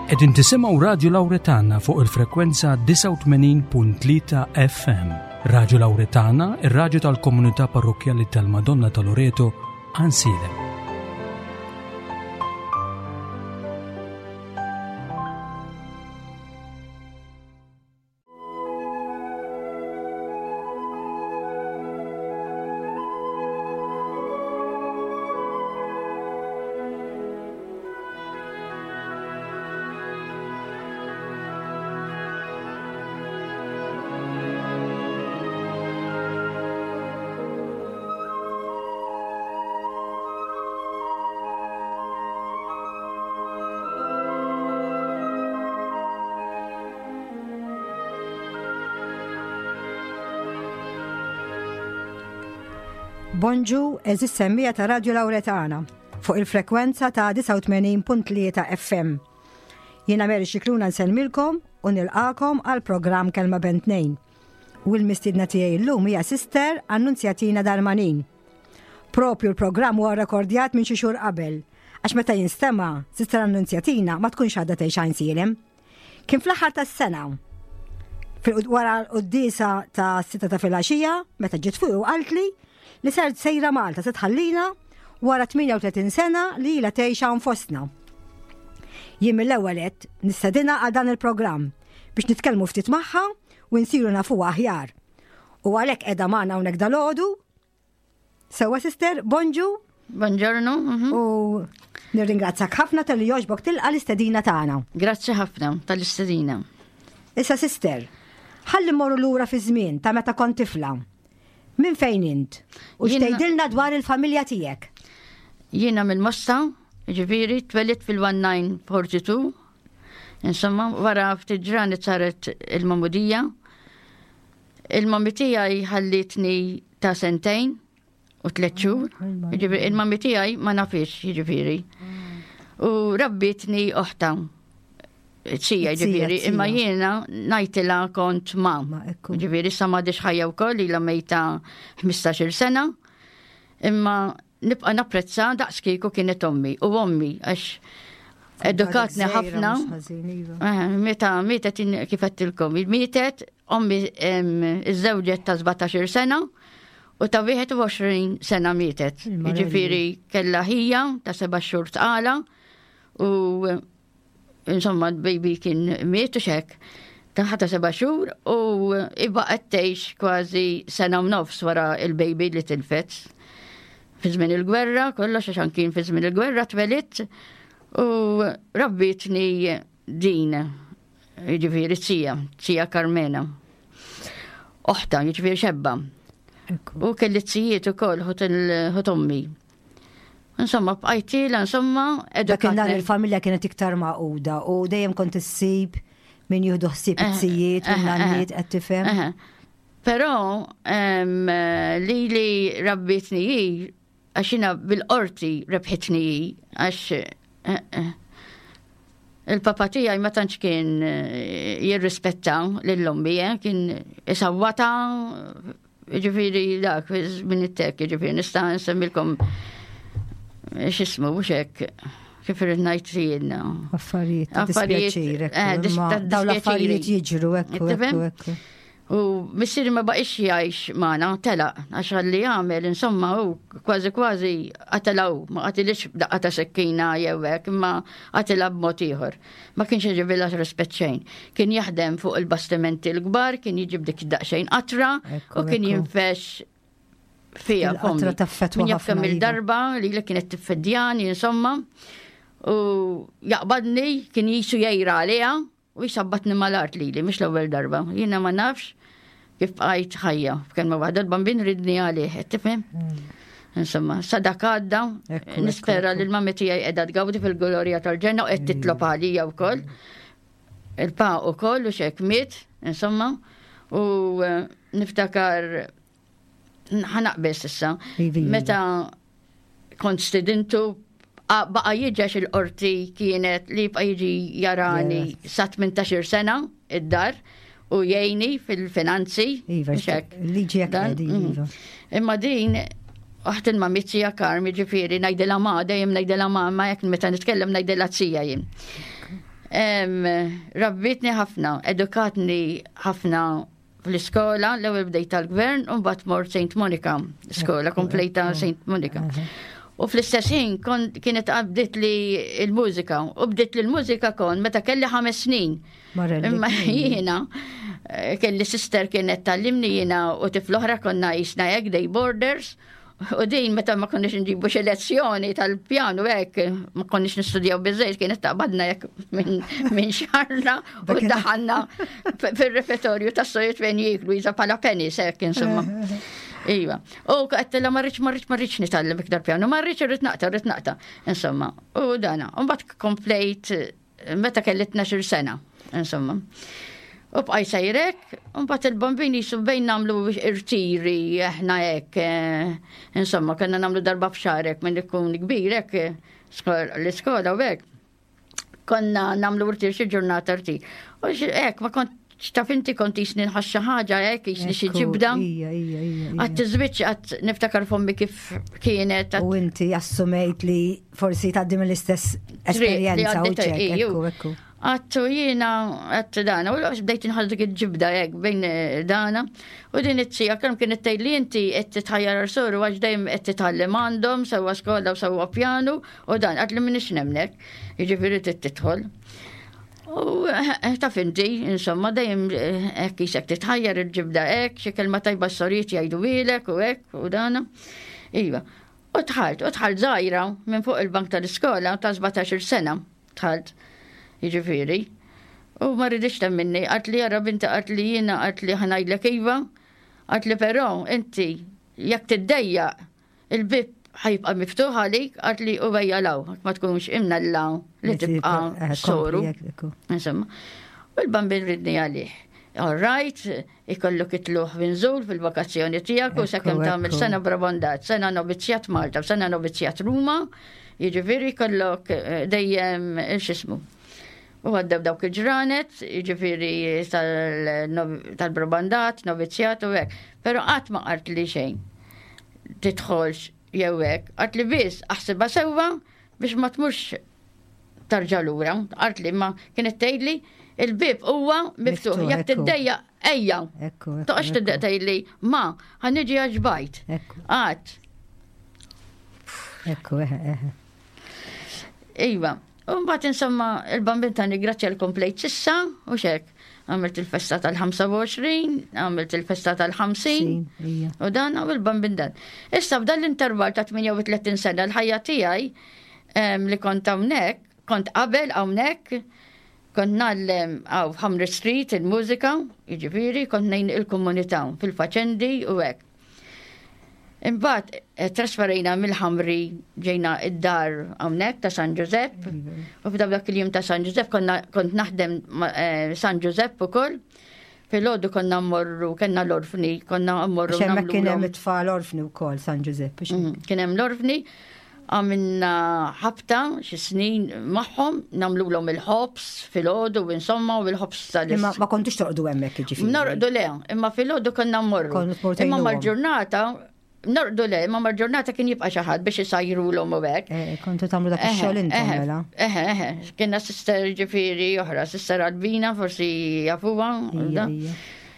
Qegħdin tisimgħu Radju Lawretana fuq il-frekwenza 89.3 FM. Radju Lawretana, ir-radju tal-komunità parrokkjali tal-Madonna ta' Loreto, Għansielem. Bonġu, eżis semmija ta' Radio Lauretana fuq il-frekwenza ta' 89.3 FM. Jiena Mary Xikluna nsellmilkom u nilqakom għal programm Kelma Bentnejn. U l-mistiedna tiegħi llum hija Sister Annunzjatina Darmanin. Propju l-programm huwa rekordjat minn xi xhur qabel, għax meta jinstema' Sister Annunzjatina ma tkunx għadha tgħix Għajnsielem. Kien fl-aħħar tas-sena. Wara l-quddiesa ta' sitta ta' filgħaxija, meta ġiet fuq u qaltli li ser sejra Malta se tħallina wara 38 sena li ilha tgħix hawn fostna. Jien mill-ewwel għedt nistedinha għal dan il-programm biex nitkellmu ftit magħha u nsiru nafuha aħjar. U għalhekk qiegħda magħna hawnhekk dalgħodu Sewa sister, bonġu. Buongiorno. Mhm. U nirringrazzjak ħafna tal-li joġbok tilqa l-istedina tagħna. Grazzi ħafna tal-istedina. Issa sister, ħalli morru lura fi żmien ta' meta kont tifla. Minn fejn int? U x'tgħidilna dwar il-familja tiegħek? Jiena mill-Mosta, ġifieri twelidt fil-1942. Insomma, wara ftit ġranet saret il-mamudija. Il-mami tiegħi ħallitni ta' sentejn u tliet xhur. Jiġifieri il-mami tiegħi ma nafix, jiġifieri. U rabbitni oħta. Sija, ġifieri, imma jiena ngħidilha kont ma. Ġifieri issa m'għadix ħajja wkoll ilha mejta 15-il sena. Imma nibqa' napprezza daqs kieku kienet ommi u ommi għax edukatni ħafna. Iva. Eh, meta mietet kif għedtilkom, mietet ommi iżżewġet ta' 17 sena u ta' 21 sena mietet. Jiġifieri kellha ħija ta' seba' xhur tqala u insomma l-baby kien miet u xek. Taħta seba' xhur u ibaqgħet tgħix kważi sena u nofs wara il-baby li tilfet. Fi żmien il-gwerra, kollox għax kien fi żmien il-gwerra twelidt u rabbitni din, jiġifieri sija, sija Carmena. Oħta, jiġifieri xebba. U kelli zijiet ukoll ħut ommi. Insomma, bqajtila, insomma, Dak nhar il-familja kienet iktar maquda u dejjem kont issib min jieħdu ħsieb eh, it-sijiet u eh, nanniet eh, qed tifhem. Però li li rabbitni hi, għax jiena bil-qorti rebħitni hi, għax il-papa tiegħi ma tantx kien jirrispetta lil ommi, kien isawwata Ġifiri dak, minn it-tek, ġifiri nista' nsemmilkom x'ismu mhux hekk kif irrid ngħid jiena. Affarijiet, affarijiet, eh, dawn l-affarijiet jiġru ekku, ekku. U missieri ma baqix jgħix magħna, telaq, għax għalli jagħmel, insomma, u kważi kważi qatelaw, ma qatilix daqqa ta' sekkina jew hekk, imma qatilha b'mod ieħor. Ma kienx iġibilha rispett xejn. Kien jaħdem fuq il-bastimenti l-kbar, kien jiġib dik daqsxejn qatra u kien jinfex fija. Qatra taffetwa. Min jaf kemm iva. il-darba li li kienet tiffedjani, insomma. U jaqbadni, kien jisu jgħira għaliha u jisabbatni mal-art lili, mhux l-ewwel darba. Jiena ma nafx kif bqajt ħajja. F'kelma waħda l-bambin ridni għalih, tifhem? Hmm. Insomma, sadak għadda, nispera li l-mami tiegħi qiegħda tgawdi fil-glorja tal-ġenna u qed titlob għalija wkoll. Il-pa ukoll u xek miet, insomma, u eh, niftakar ħanaqbes issa. Meta kont stidintu baqa jiġex il-qorti kienet li jibqa' jiġi jarani sa 18 sena id-dar u jgħini fil-finanzi. Iva, liġi jekk mhm. iva. Imma din Oħt il-mamizzija Karmi ġifieri ngħidilha ma dejjem ngħidilha ma ma jekk meta nitkellem ngħidilha zija jien. Rabbitni ħafna, edukatni ħafna fl-iskola, l-ewwel bdejt tal-gvern u mbagħad mort St. Monica, skola komplejta St. Monica. U fl-istess ħin kienet bdiet li l-mużika, u bdiet li l-mużika kon meta kelli ħames snin. Imma jiena eh, kelli sister kienet tallimni jiena u tifl oħra konna jisna hekk day borders. U din meta ma konniex nġibu xi lezzjoni tal-pjanu hekk, ma konniex nistudjaw biżejjed kienet taqbadna hekk minn xarna u daħanna fir-refettorju tas-sojiet fejn jieklu jiża bħala penis hekk insomma. Iva. U għedtilha ma rridx ma rridx ma rridx nitgħallem iktar pjanu, ma rridx irrid naqta' irrid naqta'. Insomma, u dana. U mbagħad komplejt meta kelli 12 sena, insomma. U bqaj sejrek, u mbagħad il-bambini jisu bejn nagħmlu irtiri aħna hekk, eh, insomma, konna nagħmlu darba f'xarek minn ikun kbir hekk eh, l-iskola u hekk. Konna nagħmlu irtir xi ġurnata irtir. U hekk ma kont X'taf inti kont jisni nħass xi ħaġa hekk jisni xi ġibda. Ija, ija, ija. Għat tiżwiċ għat niftakar fommi kif kienet. U inti assumejt li forsi tgħaddi mill-istess esperjenza u ċek. Ekku, ekku. Għattu jiena għattu dana, u l bdejt nħass dik il-ġibda hekk bejn eh, dana. U din it-tija kemm kienet tgħid li inti qed titħajjar soru għax dejjem qed titgħallem għandhom sewwa skola u sewwa pjanu u dan għad li m'iniex nemnek. Jiġifieri tidħol. U eh, taf inti, insomma, dejjem eh, hekk isek titħajjar il-ġibda hekk, xi kelma tajba s-sorijiet jgħidu ilek u hekk u dana. Iva. U tħalt, u tħalt żgħira minn fuq il-bank tal-iskola ta' 17 sena tħalt. Jiġifieri. U ma rridix temminni, għat li jara binti għat li jiena għat li ħanajdlek iva, għat li però inti jekk tiddejjaq Il-bieb ħa jibqa' miftuħ għalik għad li u ejja law, ma tkunx imnella li tibqa' eh, soru. Insomma, u l-bambin ridni għalih. All right, ikollok itluħ vinżul fil-vakazzjoni tiegħek u sakemm tagħmel sena Brabondat, sena novizzjat Malta, sena novizzjat Ruma, jiġifieri jkollok eh, dejjem eh, x'ismu. U għaddew dawk il-ġranet, jiġifieri tal-Brabandat, novizzjat u hekk. Però qatt ma qart li xejn. Tidħolx jew hekk. Qart li biss aħsibha sewwa biex ma tmurx tarġa' lura. Qart li ma kienet tgħidli il-bib huwa miftuħ. Jekk tiddejja ejja. Toqgħodx tibda tgħidli ma ħa niġi għax bajt. Qatt. Ekku, eħe, eħe. Iva, u mbagħad insomma il-bambin ta' grazzja l-komplejt sissa u xek. Għamilt il-festa tal-25, għamilt il-festa tal-50 u dan u il-bambin dan. Issa f'dan l-intervall ta' 38 sena l-ħajja tiegħi li kont hawnhekk, kont qabel hawnhekk, kont ngħallem għaw f'Hamri Street il-mużika, jiġifieri kont ngħin il-komunità fil-faċendi u hekk. Imbagħad eh, trasferejna mill-Ħamri ġejna id-dar hawnhekk ta' San Ġużepp. U f'dak dak il-jum ta' San Ġużepp konna kont naħdem eh, San Ġużepp ukoll. Filgħodu konna mmorru, kellna l-orfni, konna mmorru. Xemmek kien hemm it-tfal orfni wkoll San Ġużepp. Mm, kien hemm l-orfni għamilna ħabta xi snin magħhom nagħmlulhom il-ħobs filgħodu insomma u l-ħobs tal Imma ma kontux torqdu hemmhekk jiġifieri. Norqdu le, imma filgħodu konna mmorru. Imma mal-ġurnata norqdu le, imma mal-ġurnata kien jibqa' xi ħadd biex isajrulhom u hekk. Eh, kontu tagħmlu dak ix-xogħol intom mela. Eħe, eħe, kienna sister ġifieri oħra, sister Albina forsi jafuha.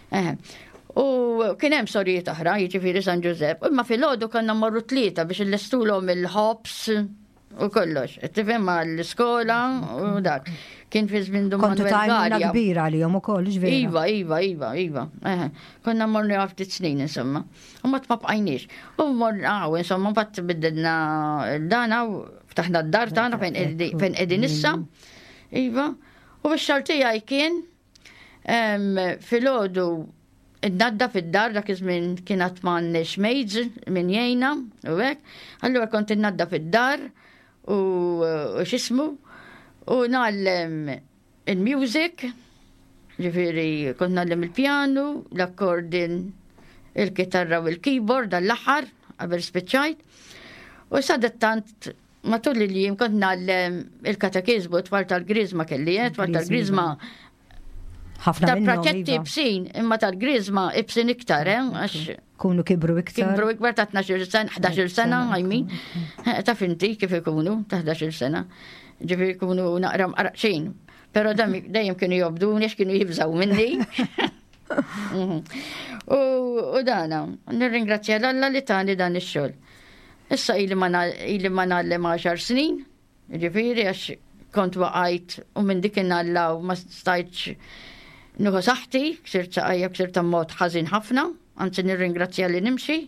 Eħe. U kien hemm sorijiet oħra, jiġifieri San Ġużepp, imma filgħodu konna mmorru tlieta biex illestulhom il-ħobs u kollox. Tifhem mal-iskola u dak. Kien fi żmien Dun Kontu tajna kbira għalihom ukoll, ġveri. Iva, iva, iva, iva. Konna morni ftit snin insomma. U ma tbaqajniex. U morna insomma, mbagħad biddilna dana u ftaħna d-dar tagħna fejn qegħdin issa. Iva. U x-xogħol tiegħi kien Filgħodu innaddaf id-dar dak iż-żmien kien għad m'għandniex maids min jgħinna u hekk. Allura kont innaddaf id-dar u x'ismu u ngħallem il-music, ġifieri kont ngħallem il-pjanu, l-akkordin, il-kitarra u l-keyboard għall-aħħar qabel spiċċajt. U sadattant Matul il-jiem kont ngħallem il-katekiżmu tfal tal-Griżma kelli, eh, tfal tal-Griżma. Ħafna Tal-praċetti iva. ibsin, imma tal-Griżma ibsin iktar, eh, għax Kunu kibru iktar. Kibru ikbar ta' 12 sena, 11 sena, I mean. Eh, taf inti kif ikunu ta' 11 sena. Ġifieri jkunu naqra mqarqxin. Pero dejjem kienu jobduni għax kienu jibżaw minni. Mhm. U dana, nirringrazzja l-Alla li tani dan ix-xogħol. Issa ili ma nagħllem 10 snin, ġifieri għax kont waqajt u minn dik innallaw ma stajtx nuħu saħti, ksirt saqajja, ksirt mod ħażin ħafna, anzi nirringrazzja li nimxi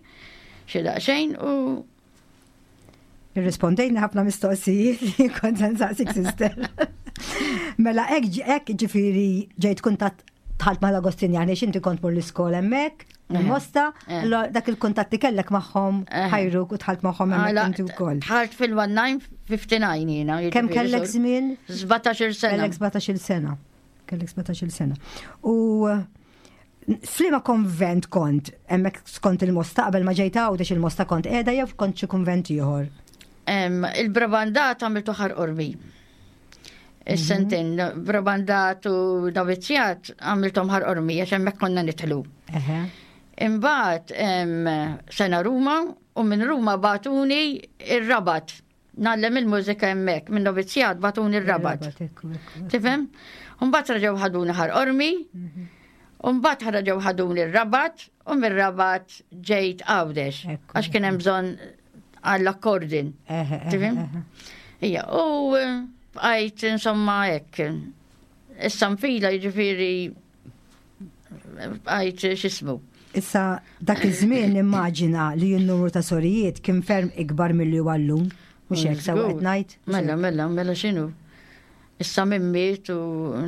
xi daqsxejn u Irrispondejna ħafna mistoqsijiet li kont se nsaqsik sister. Mela hekk ġifieri ġejt kuntatt dħalt mal-Agostinjani x'inti kont mur l-iskola hemmhekk, il-Mosta, dak il-kuntatt li kellek magħhom ħajruk u dħalt magħhom hemmhekk inti wkoll. Dħalt fil-1959 jiena. Kemm kellek żmien? 17 sena. Kellek 17 sena. Kellek 17 sena. U F'liema konvent kont? Hemmhekk skont il-Mosta qabel ma ġejt Għawdex il-Mosta kont qiegħda jew kont xi kunvent ieħor? Il-Brabandat għamiltu ħar qorbi. Is-sentejn mhm. Brabandat u Novizzjat għamilthom ħar qormi għax hemmhekk konna nidħlu. Imbagħad sena Ruma u minn Ruma bagħtuni ir-Rabat. Ngħallem il-mużika hemmhekk, minn novizzjat bagħtuni r-Rabat. Tifhem? Mbagħad reġgħu ħaduni ħar qormi, mhm. mbagħad reġgħu ħaduni r-Rabat u mir-Rabat ġejt Għawdex. Għax kien hemm bżonn għall-akkordin. Tifhem? Ija, u eh, bqajt insomma hekk. Issa nfila jiġifieri Għajt xismu. Issa dak iż-żmien nimmaġina li n-numru ta' sorijiet kien ferm ikbar milli huwa llum. Mhux hekk sewa qed ngħid? Mela, mela, mela x'inhu? Issa minn miet u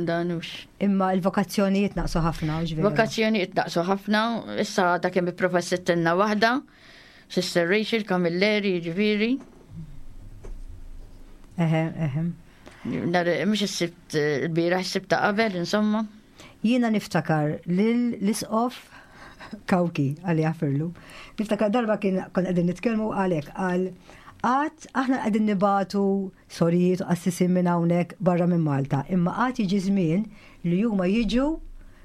dan hux. Imma l-vokazzjonijiet naqsu ħafna, hux vera? Vokazzjonijiet naqsu ħafna, issa għadha kemm ipprofessittilna waħda, Sister Rachel Camilleri, jiġifieri. Eħe, eħe. Mhux is-sibt il-bieraħ, is-sibt ta' qabel, insomma. Jiena niftakar lil l-isqof Kawki għalli jaħfirlu. Niftakar darba kien kon qegħdin nitkellmu għalek qal għad aħna qegħdin nibatu sorijiet u qassisin minn hawnhekk barra minn Malta, imma għad jiġi żmien li huma jiġu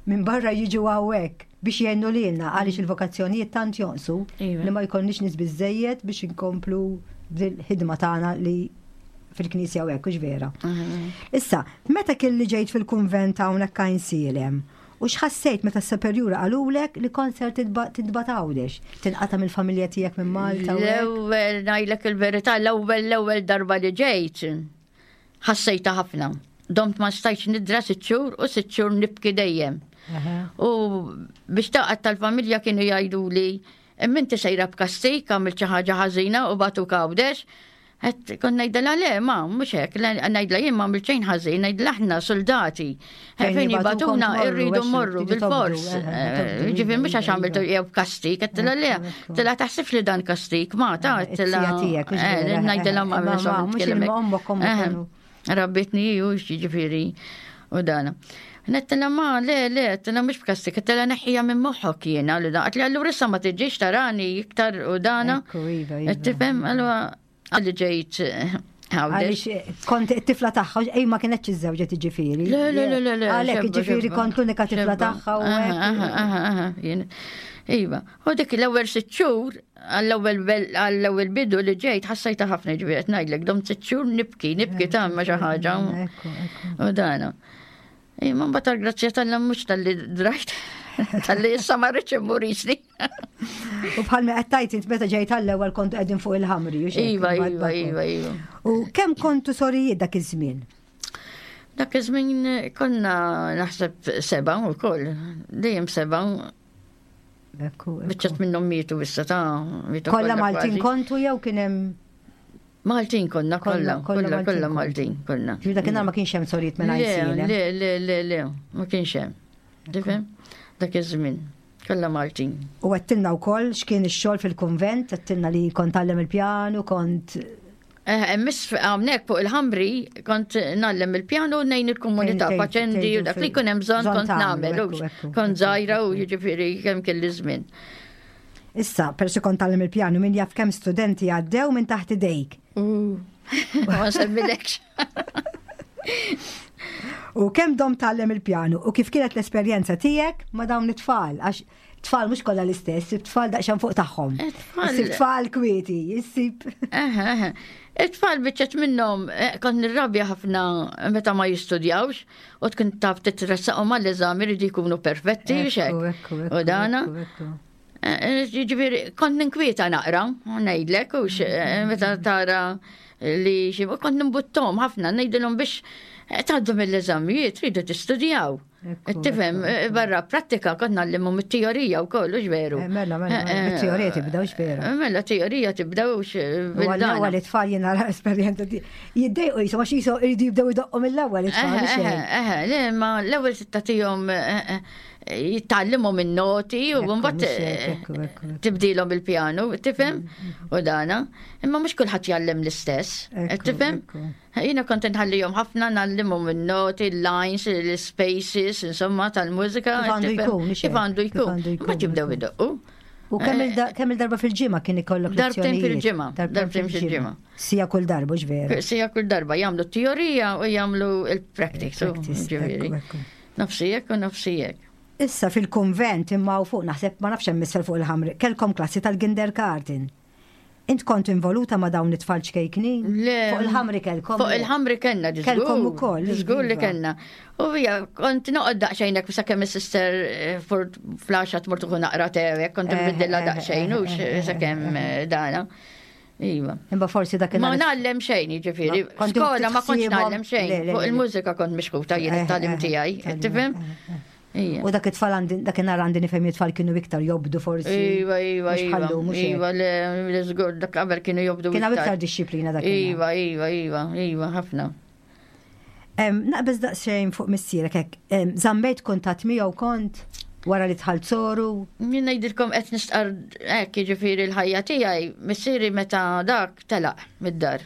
minn barra jiġu hawnhekk biex jgħinu lilna għaliex il-vokazzjonijiet tant jonqsu iva. li ma jkollniex nies biżejjed biex inkomplu bil-ħidma tagħna li fil-knisja u hekk, hux vera. Issa, meta kelli ġejt fil-kunvent hawnhekk Għajnsielem, u x'ħassejt meta s-superjura qalulek li kont ser tintbagħat Għawdex, tinqata' mill-familja tiegħek minn Malta? L-ewwel ngħidlek il-verità, l-ewwel l-ewwel darba li ġejt, ħassejta ħafna. Domt ma stajtx nidra sitt xhur u sitt xhur nibki dejjem. U biex taqgħod tal-familja kienu jgħiduli Imma inti sejra b'kastik, għamilt xi ħaġa ħażina u bagħtuk Għawdex. Qed kont ngħidilha le, ma mhux hekk, ngħidilha jien ma għamilt xejn ħażin, ngħidilha aħna soldati. Fejn jibgħatuna rridu mmorru bil-fors. Eh, ġifieri mhux għax għamiltu jew b'kastik, qedtilha le, tilha taħsibx li dan kastik, ma ta' qedtilha. Eh, ngħidilha ma Rabbitni ju ġifieri u dana. Nettila ma, le, le, tila mux b'kastik, tila neħħija minn moħħok jiena li da. Għatli allura issa ma tiġix tarani iktar u dana. Iva, iva. Tifhem, allura għalli ġejt eh, Għalix eh, kont tifla tagħha, ej ma kienx iżżewġet ġifieri. Le, le, le, le, le. Għalhekk ġifieri kont l-unika tifla tagħha u Iva, u dik l-ewwel sitt xhur Għall-ewwel bidu li ġejt ħassajta ħafna ġifieri qed ngħidlek dom sitt xhur nibki, nibki ta' ma xi ħaġa. U dana. Imma mbagħad tal-grazzja tal mhux tal-li drajt, tal-li issa ma rridx immur jisni. U bħal ma qed tgħid int meta ġejt għall-ewwel kontu qegħdin fuq il-ħamri. Iva, iva, iva, iva. U kemm kontu sorijiet dak iż-żmien? Dak iż-żmien konna naħseb seba' wkoll, dejjem seba' Biċċat minnhom mietu issa ta' mietu. Kollha Maltin kontu jew kien hemm Maltin konna kollha, kollha kollha Maltin konna. Ġifieri dakinhar ma kienx hemm sorijiet minn Le, le, le, le, le, ma kienx hemm. Tifhem? Dak iż-żmien. Kollha Maltin. U għedtilna wkoll x'kien ix-xogħol fil-kunvent, għedtilna li kont tgħallem il-pjanu, kont Eh, miss hawnhekk fuq il-ħamri kont nallem il-pjanu nejn il-komunità paċendi u dak li jkun hemm bżonn kont nagħmel. Kont żgħira u jiġifieri kemm kelli żmien. Issa, persi kont tgħallem il-pjanu min jaf kemm studenti għaddew minn taħt idejk. Ma semmilekx. U kemm dom tgħallem il-pjanu u kif kienet l-esperjenza tiegħek ma' dawn it-tfal għax Tfal mhux kollha l-istess, tfal daqsxejn fuq tagħhom. Issib tfal kwieti, issib. It-tfal biċċet minnhom eh, kont nirrabja ħafna meta ma jistudjawx u tkun taf titressaqhom għall-eżami rridu jkunu perfetti xek. U dana. Eh, eh, jiġifieri kont ninkwieta naqra, ngħidlek, u meta tara li xi kont nimbuttom ħafna ngħidilhom biex tgħaddu mill-eżamijiet tridu tistudjaw. Tifhem, eh, barra prattika kont nallimhom it-teorija wkoll hux veru. Eh, mela, mela, mela, eh, it-teorija tibda hux veru. Mela, teorija tibda hux bil-ewwel it-tfal jiena esperjenza jiddejqu jisom għax jisom iridu jibdew idoqqu mill-ewwel it-tfal. Eh, le, ma l-ewwel tagħtihom jitgħallimhom in-noti u mbagħad tibdilhom il-pjanu, tifhem? Mm, mm. U dana. Imma mhux kulħadd jgħallem l-istess, tifhem? Jiena kont inħallihom ħafna ngħallimhom in-noti, il-lines, l-spaces, insomma tal-mużika. Kif għandu jkun, kif għandu jkun. Ma jibdew idoqqu. U kemm eh, il-darba fil-ġimgħa kien ikollok Darbtejn fil-ġimgħa, darbtejn fil-ġimgħa. Sija kull darba, veru. Sija kull darba jagħmlu teorija u jagħmlu il-practice. Ġifieri. Nofsijek u nofsijek. Issa fil-konvent imma u fuq naħseb ma nafx hemm isfel fuq il-ħamri, kellkom klassi tal-kindergarten. Int kont involuta ma' dawn it-tfal ċkejknin? Le. Fuq il-ħamri kellkom? Fuq il-ħamri kellna, Kellkom ukoll. Żgur li iva. kellna. U hija kont noqgħod daqsxejn hekk sakemm is-sister eh, flaxa tmur tuħu naqra tew kont eh, nbiddilha eh, daqsxejn u sakemm dana. Iva. Imma forsi dak Ma ngħallem xejn, jiġifieri. Skola ma kontx ngħallem xejn. Fuq il-mużika kont mixkuta jien it-talim tiegħi, tifhem? U dak it-tfal għandi, dakinhar għandi nifhem it-tfal kienu iktar jobdu forsi. Iva, iva, iva. Iva, le, żgur dak qabel kienu jobdu. Kien hawn iktar dixxiplina dak. Iva, iva, iva, iva, ħafna. Naqbeż daqsxejn fuq missierek hekk, żammejt kuntatt miegħu kont wara li dħalt soru? Jien ngħidilkom qed nistqar hekk jiġifieri l-ħajja tiegħi, missieri meta dak telaq mid-dar.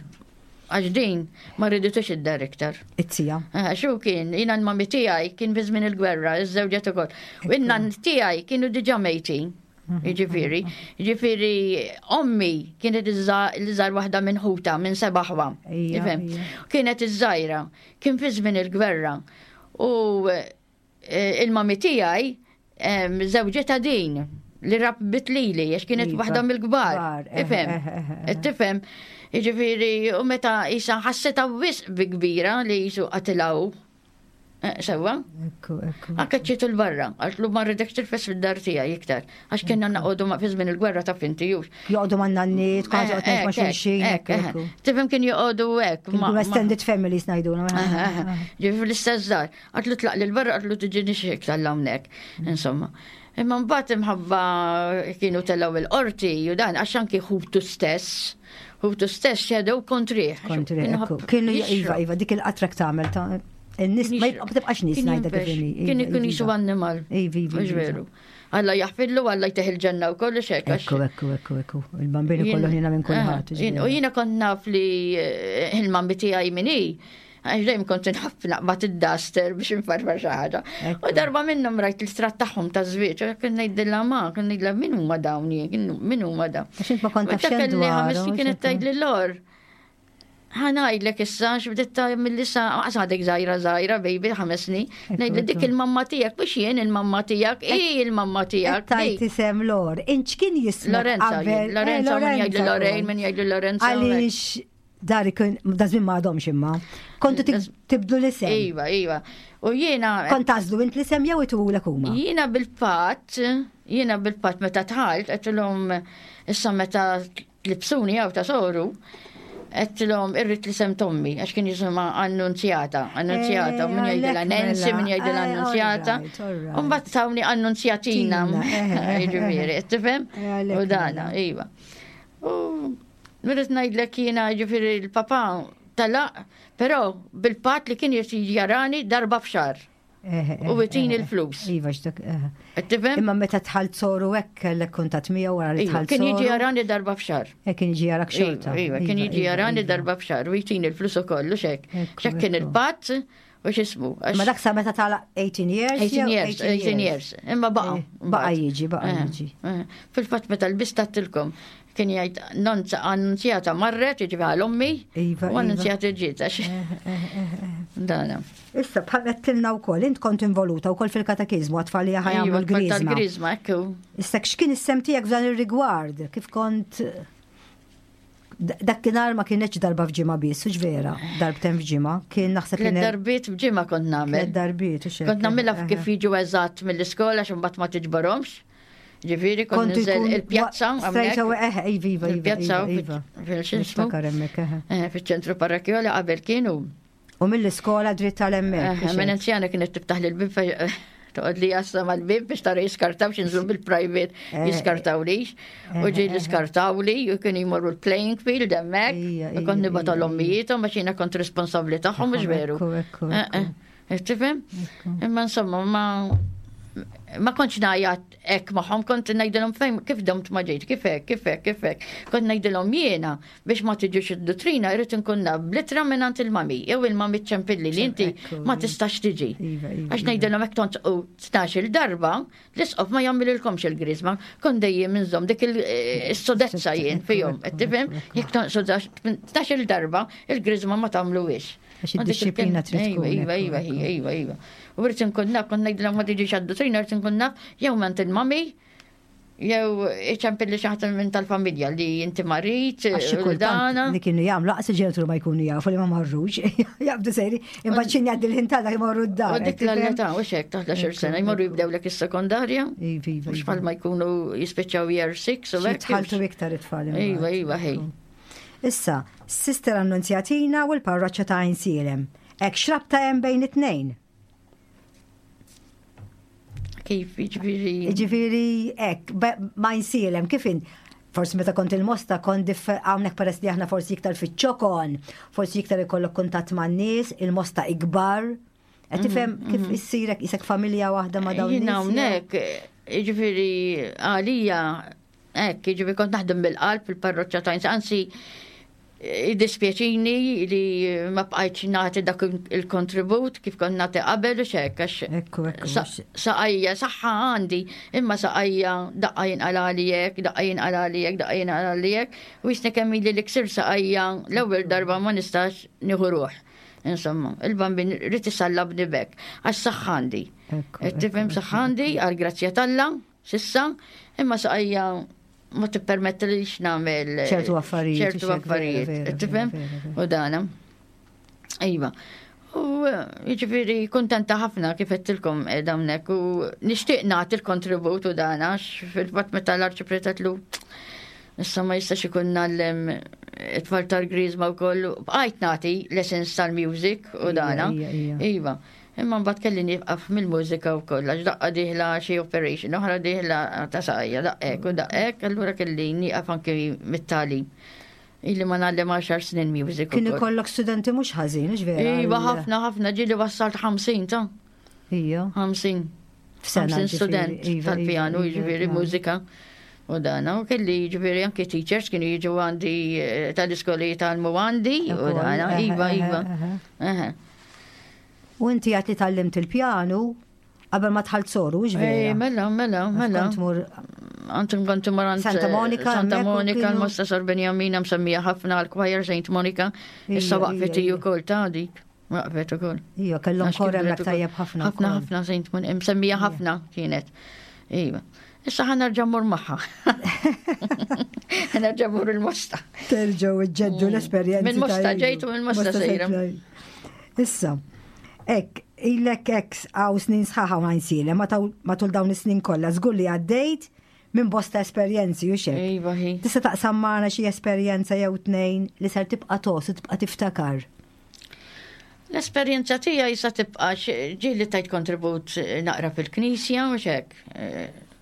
Għax din ma riditux id-dar iktar. It-tija. Eh, xu kien, jina l-mami tiegħi kien fi żmien il-gwerra, iż-żewġet ukoll. U inna tiegħi kienu diġà mejtin. Mhm. Jiġifieri, jiġifieri ommi kienet l-iżgħar waħda minn ħuta minn seba' ħwa. Kienet iż-żgħira, kien fi żmien il-gwerra. U eh, il-mami tiegħi żewġetha din li rabbit lili għax kienet iva, waħda mill-kbar. Eh, Ifhem, eh, eh, tifhem. Jiġifieri u meta isa ħassitha wisq bi kbira li jisu qatilgħu. Sewwa? Ekku, ekku. Għakkaċċitu l-barra, għaltlu ma rridek tilfes fid-dar tiegħi iktar. Għax kienna naqogħdu ma fi żmien il-gwerra ta' finti jux. Joqogħdu ma' nanniet, kważi joqgħod ma' xulxin. Tifhem kien joqogħdu hekk. Extended families ngħidulhom. Ġifieri fl-istess dar. Għatlu tlaq lil barra għatlu tiġini xik tal-hawnhekk. Insomma. Imma mbagħad imħabba kienu telgħu il-qorti u dan għax anki ħutu stess, ħutu stess xedew kontrih. Kontrih. Kienu iva, iva, dik il-qatrak tagħmel ta' in-nies ma tibqax nies ngħidha kif inhi. Kien ikun jisu annimal. Iva, iva. Mhux veru. Alla jaħfillu, Alla jteħ il-ġenna u kollox hekk. Ekku, ekku, ekku, ekku. Il-bambini kollu ħina minn kulħadd. U jiena kont naf li eh, il-mammi tiegħi min hi Għax dejjem kont inħobb naqbad id-duster biex infarfar xi ħaġa. U darba minnhom rajt l-istrat tagħhom ta' żwieġ, kien ngħidilha ma, kien ngħidilha min huma dawn jien, min huma dawn. Għax int ma kont taf xejn dwarhom. Kienet tgħidli lor. Ħanajdlek issa x'bdiet ta' mill-issa għadek żgħira żgħira baby ħames snin. Ngħidli dik il-mamma tiegħek mhux jien il-mamma tiegħek, hi il-mamma tiegħek. Tajt isem Lor. Int x'kien jismek? Lorenza, eh, Lorenza, min jgħidli Lorraine, min jgħidli Lorenza. Għaliex Dar ikun, da żmien ma għadhomx imma. Kontu tibdlu l-isem. Iva, iva. U jiena. Kont tażlu int l-isem jew itulek huma? Jiena bil-fatt, jiena bil-fatt meta tħalt, għedtilhom issa meta tlibsuni għaw ta' soru, għedtilhom irrid l-isem tommi, għax kien jisimha Annunzjata, Annunzjata, u min eh, jgħidilha Nancy, min jgħidilha eh, Annunzjata. U mbagħad tawni Annunzjatina, eh, jiġifieri, tifhem? U dana, iva. U Nirrid ngħidlek jiena ġifieri l-papà telaq, però bil-patt li kien jiġi jarani darba f'xahar. Eh, eh, u jtini eh, l-flus. Iva, x'dak. Tifhem? Imma meta tħalt soru hekk kellek kuntatt miegħu wara li iva, tħalt. Kien jiġi jarani darba f'xahar. Kien jiġi jarak iva, xorta. Iva, kien iva, jiġi jarani darba f'xahar u jtini l-flus ukoll u xek. Xek kien il-patt u x'ismu. Ma dak sa meta tala 18 years? 18 years, 18 years. Imma baqa. Baqa jiġi, baqa jiġi. Fil-fatt meta l-bist tattilkom. Kien jgħid Annunzjata marret, jiġifieri għal ommi, Iva, u iva. Annunzjata ġiet għax. Dana. Issa bħal għedtilna wkoll, int kont involuta wkoll fil-katakizmu għat-tfal li ħa jagħmlu Iva, tfal l-griżma. Tal-griżma, ekku. Issa x'kien is-sem tiegħek f'dan ir-rigward? Kif kont Dakinhar ma kienx darba f'ġimgħa biss, hux vera, darbtejn f'ġimgħa, kien naħseb Tliet kien darbiet f'ġimgħa kont nagħmel. Tliet darbiet, hux hekk. Kont nagħmilha kif jiġu eżatt mill-iskola xi mbagħad ma tiġborhomx. Ġifieri kont Kont ninżel ikun il-pjazza Straight away, eh, iva, iva, iva, Il-pjazza iva, iva. fil-xismu. Niftakar hemmhekk, eh. Eh, Fiċ-ċentru parrokjali qabel kienu. U mill-iskola dritt tal-hemmhekk. Eh, Minn anzjana kienet tiftaħ li l-bib toqgħod li jassa mal-bib biex tara jiskartaw x'inżlu bil-private Eh, jiskartaw lix. U ġej li skartaw li u kienu jmorru l-playing field hemmhekk. Ija, U kont ija, nibgħat ija, l-ommijietom għax jiena kont responsabbli tagħhom mhux veru. Ekku, ekku, Eh, eh. Tifhem? Imma insomma ma ma kontx ngħajjat hekk magħhom, kont ngħidilhom fejn kif domt ma ġejt, kif hekk, kif hekk, kif hekk. Kont ngħidilhom jiena biex ma tiġux id-duttrina jrid inkun naf bl-ittra mingħand il-mami, jew il-mami ċempilli li inti Ekku, ma tistax tiġi. Iva, iva, Għax iva. ngħidilhom hekk tonqu 12-il darba, l-isqof ma jagħmililkomx il-griżma, kont dejjem inżomm dik il-sodezza jien fihom, qed tifhem? Jekk tonqsu 12-il darba, il-griżma ma tagħmluhiex. Għax id-dixxiplina trid tkun, Iva, ekku, iva, ekku. iva, iva. U rrid inkun naf, kont ngħidilhom ma tiġix għad-duttrina, rrid inkun naf jew ment il-mami, jew iċempilli xi ħadd minn tal-familja li inti marit, Għax xi u kultant dana. li kienu jagħmlu aqs il-ġenituri ma jkunu jafu li ma marrux. Jabdu sejri, imbagħad x'in jgħaddi l-ħin tal jmorru d-dar. U dik l-età, u xek, ta' 11 sena, jmorru jibdew lek is-sekondarja. Iva, iva. Mhux bħal ma jkunu jispiċċaw year 6 u hekk. Jitħaltu iktar it-tfal. imbagħad. Iva, iva, ħej. Issa, Sister Annunzjatina u l-parroċċa ta' Għajnsielem. Hekk x'rabta hemm bejn it-tnejn? Kif, jiġifieri. Ġifieri, hekk, ma' Għajnsielem, kif in? Forsi meta kont il-Mosta kont hawnhekk peress li aħna forsi iktar fiċ-ċokon, forsi iktar ikollok kuntatt man-nies, il-Mosta ikbar. Qed tifhem kif issirek isek familja waħda ma' dawn Jien nies? hawnhekk, jiġifieri għalija, hekk, jiġifieri kont naħdem bil-qalb fil-parroċċa ta' Għajnsielem, anzi jiddispjaċini li ma bqajtx nagħti dak il-kontribut kif kont nagħti qabel u xek, għax Ekku, ekku, saqajja saħħa għandi, imma saqajja daqqa jinqalali hekk, daqqa jinqalali hekk, daqqa jinqalali hekk, u jisni kemm ili li ksir saqajja l-ewwel darba ma nistax nieħu ruħ. Insomma, il-bambin rrid isallabni bek, għax saħħa għandi. Ekku, Tifhem ekku, saħħa għandi għal grazzja t'Alla, sissa, imma saqajja ma tippermettilix nagħmel ċertu affarijiet, ċertu u xek, vera, affarijiet. vera, Tifhem? vera, vera. U dana. Iva. U jiġifieri kuntenta ħafna kif għedtilkom dawnek u nixtieq nagħti l-kontribut u dana għax fil-fatt meta l-arċipriet għedtlu issa ma jistax ikun ngħallem it-tfal tal-griżma wkoll bqajt nagħti lessons tal-music u Ija, dana. ija, ija. Iva. Imma mbagħad kelli nieqaf mill-mużika wkoll għax daqqa dieħla xi operation, oħra dieħla ta' saqajja, daqek u daqek, allura kelli nieqaf anke mit-tagħlim. Illi ma ngħallem 10 snin music Kien ukoll. ikollok studenti mhux ħażin, hux vera? Iva, ħafna, ħafna, ġieli wassalt 50 ta' Ija. 50. F'sena 50 ġifieri, student iva, iva, tal-pjanu, iva, jiġifieri iva. mużika. U dana, u kelli jiġifieri anke teachers kienu jiġu għandi eh, tal-iskoli tal-mu għandi, u Ukoll, dana, eħe, iva, eħe, iva. eħe. Eħe. U inti għat li tgħallimt il-pjanu qabel ma dħalt soru, hux Ej, vera? mela, mela, mela. Kont mur Antum kont mur għand, Santa Monica, Santa hemmhekk u Monica, kienu- l-Mosta Sor Benjamina msemmija ħafna għal-choir Saint Monica. Issa Ija, waqfet ija, iju kol ta' dik. Waqfet ukoll. Ija, kellhom Għax kor kibret hemmhekk ukoll. tajjeb ħafna Ħafna, wkoll. ħafna Saint Monica, msemmija ħafna kienet. Iva. Issa ħa nerġa' mmur magħha. Ħa nerġa' mmur il-Mosta. Terġgħu iġġeddu l-esperjenzi. Minn Mosta ta' ilu. ġejt u minn Mosta sejra. Issa, hekk, ilek hekk għaw snin sħaħa u Għajnsielem, matul dawn is-snin kollha, żgur li għaddejt minn bosta esperjenzi u xek. Iva, hi. Tista' taqsam magħna xi esperjenza jew tnejn li ser tibqa' tos u tibqa' tiftakar. L-esperjenza tiegħi sa tibqa' ġieli tajt kontribut naqra fil-knisja u xek.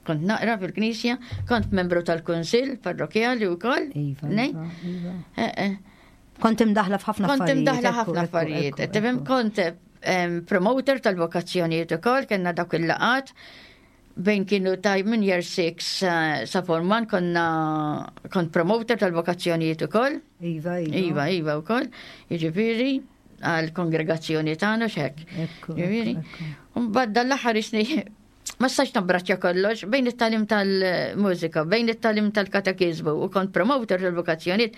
Kont naqra fil-knisja, kont membru tal-kunsill parrokjali wkoll. Iva, Nej? iva, iva. Eh, eh. Kont imdaħla f'ħafna Kont affarijiet. imdaħla ekku, ħafna ekku, affarijiet. ekku, Tifhem ekku. kont promoter tal-vokazzjonijiet ukoll, kellna dawk il-laqat bejn kienu ta' minn year 6 sa form 1 konna kont promoter tal-vokazzjonijiet ukoll. Iva, iva. Iva, iva wkoll. Jiġifieri għal kongregazzjoni tagħna x'hekk. Ekku, Jiġifieri. ekku, ekku. U mbagħad dal-aħħar isni Ma stax nabbraċċja kollox bejn it-talim tal-mużika, bejn it-talim tal-katekizmu u kont promoter tal-vokazzjonijiet,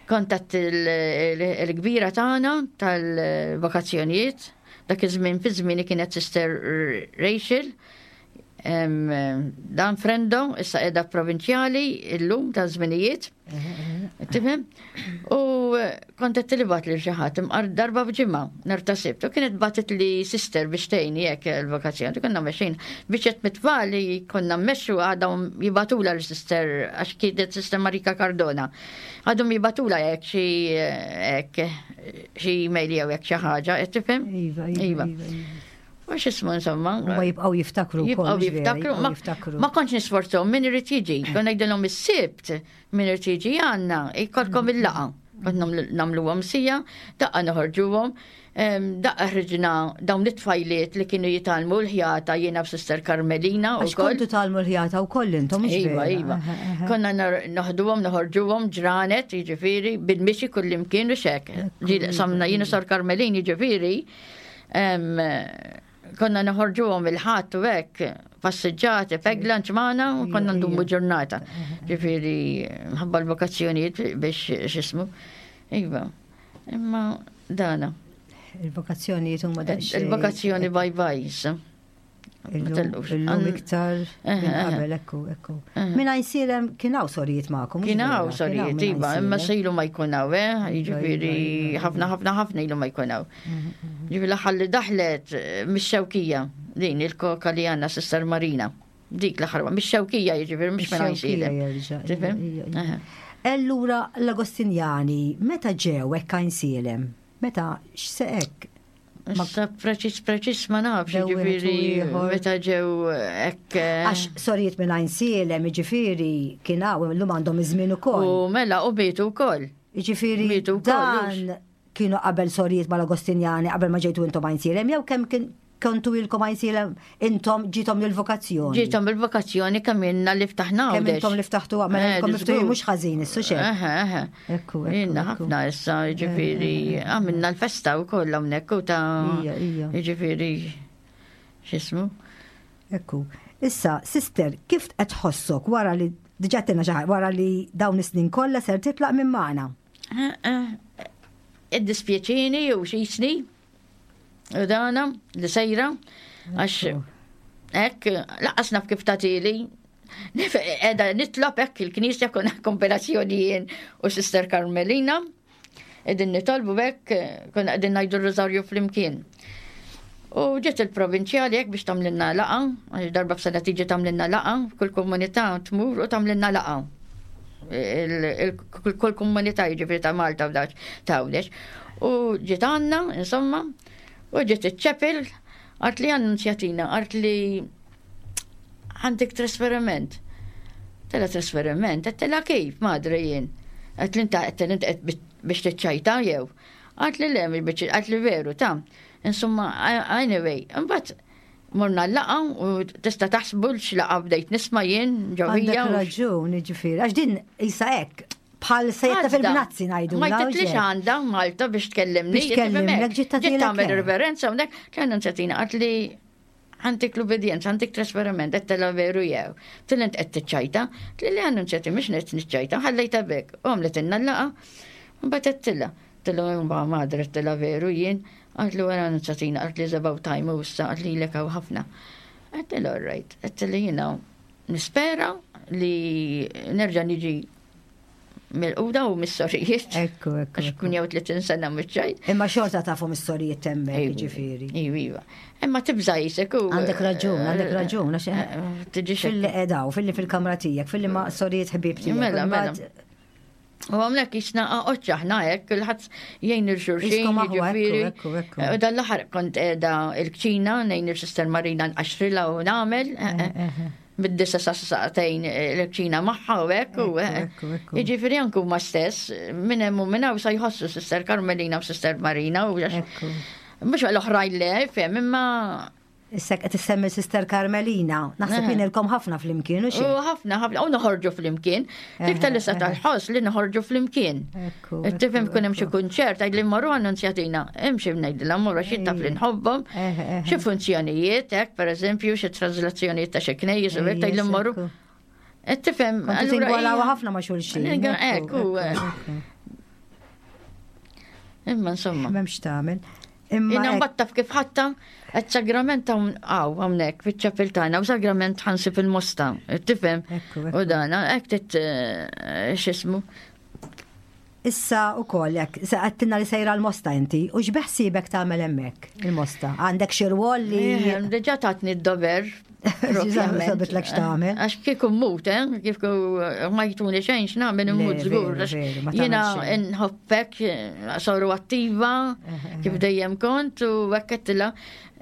kont il-kbira tagħna tal-vokazzjonijiet, dak iż-żmien fi żmieni kienet Sister Rachel, Dan Frendo, issa qiegħda provinċjali illum ta' żminijiet. Tifhem? U eh, kont qed tilibat lil xi ħadd imqar darba f'ġimgħa nhar ta' sibt. U kienet batet li sister biex tgħinni hekk il-vokazzjoni. Konna mexxin biex qed mitfali konna mmexxu għadhom jibatula l sister għax kienet sister Marika Cardona. Għadhom jibatula hekk xi hekk xi email jew hekk xi ħaġa, qed tifhem? Iva, iva. iva. iva. U x'ismu insomma. Ma jibqgħu jiftakru Jibqgħu jiftakru. jiftakru. Ma kontx nisforzhom min irid jiġi. Kon ngħidilhom is-sibt min irid jiġi għandna jkollkom il-laqa. Kont nagħmluhom sija, daqqa noħorġuhom, daqqa ħriġna dawn it-tfajliet li kienu jitgħallmu l-ħjata jiena b'Sister Carmelina u kontu tgħallmu l-ħjata wkoll intom. Iva, iva. Konna noħduhom, noħorġuhom ġranet, jiġifieri, bil-mixi kullimkien u xek. Samna jiena Sor Carmelin, jiġifieri, Konna noħorġuhom il-ħadd u hekk, passiġġati, pegla ġmana u konna ndumu ġurnata. Ġifieri mħabba l-vokazzjonijiet biex x'ismu. Iva. Imma dana. Il-vokazzjonijiet huma daqsxejn. Il-vokazzjoni bye bye issa. Illum iktar qabel, ekku, ekku. Minna jisirem kien hawn sorijiet magħkom. Kien hawn sorijiet, iva, imma sejlu ma jkun hawn, eh? Iva, Jiġifieri iva, iva. ħafna ħafna ħafna ilu ma jkun hawn. Ġifieri l-aħħar li daħlet eh, mix-xewkija, din il-koka li għandna Sister Marina. Dik l-aħħar, mix-xewkija jiġifieri mhux minn Ix-xewkija jerġa', Tifhem? ija, ija. Allura l-Agostinjani meta ġew hekk Għajnsielem? Meta x'se hekk? Issa preċis preċis ma nafx, ġifieri meta ġew hekk. Eh, Għax sorijiet minn Għajnsielem, jiġifieri kien hawn illum għandhom iż-żmien ukoll. U mela u bietu wkoll. Jiġifieri dan kienu qabel sorijiet mal-Agostinjani qabel ma ġejtu intom Għajnsielem jew kemm kien kontu ilkom Għajnsielem intom ġiethom il-vokazzjoni? Ġiethom il-vokazzjoni kemm ilna li ftaħna Kemm intom li ftaħtu mela ilkom miftuħin mhux ħażin issu xejn. Eħe, eħe. Ekku, Ilna ħafna issa, jiġifieri għamilna l-festa wkoll hawnhekk u ta' jiġifieri x'ismu. Ekku. Issa, sister, kif qed tħossok wara li diġà tenna xi wara li dawn is-snin kollha ser titlaq minn magħna? Iddispjaċini u xisni U dana li sejra, għax hekk laqas naf kif tatili. Edha nitlob hekk il-knisja kuna kompilazzjoni jien u Sister Carmelina. Edin nitolbu hekk kuna qegħdin ngħidu r-rożarju flimkien. U ġiet il-provinċjali hekk biex tagħmlilna laqa, għax darba f'sena tiġi tagħmlilna laqa, kull komunità tmur u tagħmlilna laqa. Kull komunità jiġifieri ta' Malta u ta' Għawdex. U ġiet għandna, insomma, u ġiet iċ-ċepil, għart li annunzjatina, għart li għandek trasferiment. Tela trasferiment, tela kif, madre jien. Għat li inta għat biex tiċċajta jew. Għat li le, biex għat li veru, ta' Insomma, anyway, mbagħad morna l-laqa u tista' taħsbu x'laqa bdejt nisma' jien ġewwija. Għandek raġun, jiġifieri, għax din isa hekk bħal sejta fil-bnazzi ngħidu. Ma jtitlix għandha Malta biex tkellimni. Biex tkellimni, ġiet tagħmel riverenza hawnhekk, kien nsetina qalt li għantik l-ubedjenza, għantik trasferiment, għettela veru jew. Tilint qed tiċċajta, li li għannu nċeti mhux qed niċċajta, ħallejta bek. U għamlet inna l-laqa, mbagħad għedtilha. Tillu imma madre għedtilha veru jien, għalt li wara nċatina, għalt li about time u issa għalt li lek hawn ħafna. Għedtilha all right, għedtilha jiena nispera li nerġa' niġi mill-quda u mis-sorijiet. Ekku, ekku. Għax kun jew 30 sena mhux Imma xorta tafu mis-sorijiet hemmhekk, jiġifieri. Iva, iva. Imma tibża' jisek u. Għandek raġun, għandek raġun, għax eh, eh, tiġi fil-li qedaw, fil-li fil-kamra tiegħek, fil-li ma' sorijiet ħbieb tiegħek. Mela, mela. U għamlek jisna oċċa ħna hekk, kulħadd jgħin il-xurxin, jiġifieri. U dan l-aħħar kont qiegħda il-kċina ngħin il-Sister Marina nqaxrilha u nagħmel. Eh, eh, eh. Mid-disa sa saqtejn l-kċina magħha u hekk u Jiġifieri anke huma stess minn hemm u minn hawn sa jħossu Sister Carmelina u Sister Marina u mhux l-oħrajn le, fem, imma. Issa qed issemmi Sister Carmelina, naħseb jien ħafna flimkien u xi. U ħafna ħafna u noħorġu flimkien. Dik tal-issa tal-ħoss li noħorġu flimkien. Tifhem kun hemm xi kunċert għid li mmorru annunzjatina, hemm xi ngħidilha mmorru xi taf li nħobbhom, xi funzjonijiet hekk pereżempju xi trażlazzjonijiet ta' xi knejjes u hekk tgħid li mmorru. Qed tifhem. Allura ħafna ma' xulxin. Ekku. Imma insomma. M'hemmx tagħmel. Imma Jina mbagħad taf kif ħatta qed sagrament hawn hawnhekk fiċ-ċapil tagħna u sagrament ħansi fil-mosta, tifhem? U dana hekk tit eh, x'ismu. Issa u koll, jek, se għattinna li sejra l-mosta inti, u x'beħsibek tagħmel hemmhekk il-mosta? Għandek xi rwol li. Eh, diġà tatni d-dover Sabitlek x'tagħmel. Għax kieku mmut, eh? Kieku ma jtuni xejn x'nagħmel immut żgur. Jiena nħobbek, eh, soru attiva, kif dejjem kont u hekk qedtilha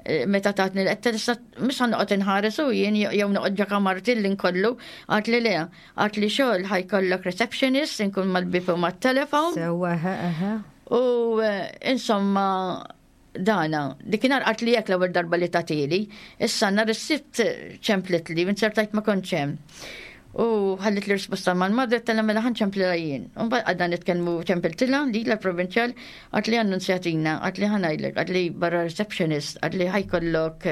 eh, meta tatni l-qed issa mhux noqgħod inħares u jien jew noqgħod ġa kamarti li nkollu, għad li le, għad li xogħol ħajkollok receptionist inkun mal-bib u mat-telefon. Sewwa, U eh, insomma Dana, dikinhar qalt li hekk l-ewwel darba li tagħtili, issa nhar is-Sibt ċemplitli u nzertajt ma kontx hemm. U ħallit li risposta mal-madre tella mela ħa nċemplilha jien. U mbagħad qgħadna nitkellmu ċempiltilha lilha l-provinċjal qalt li annunzjatina, qalt li ħa ngħidlek, qalt li barra receptionist, qalt li ħajkollok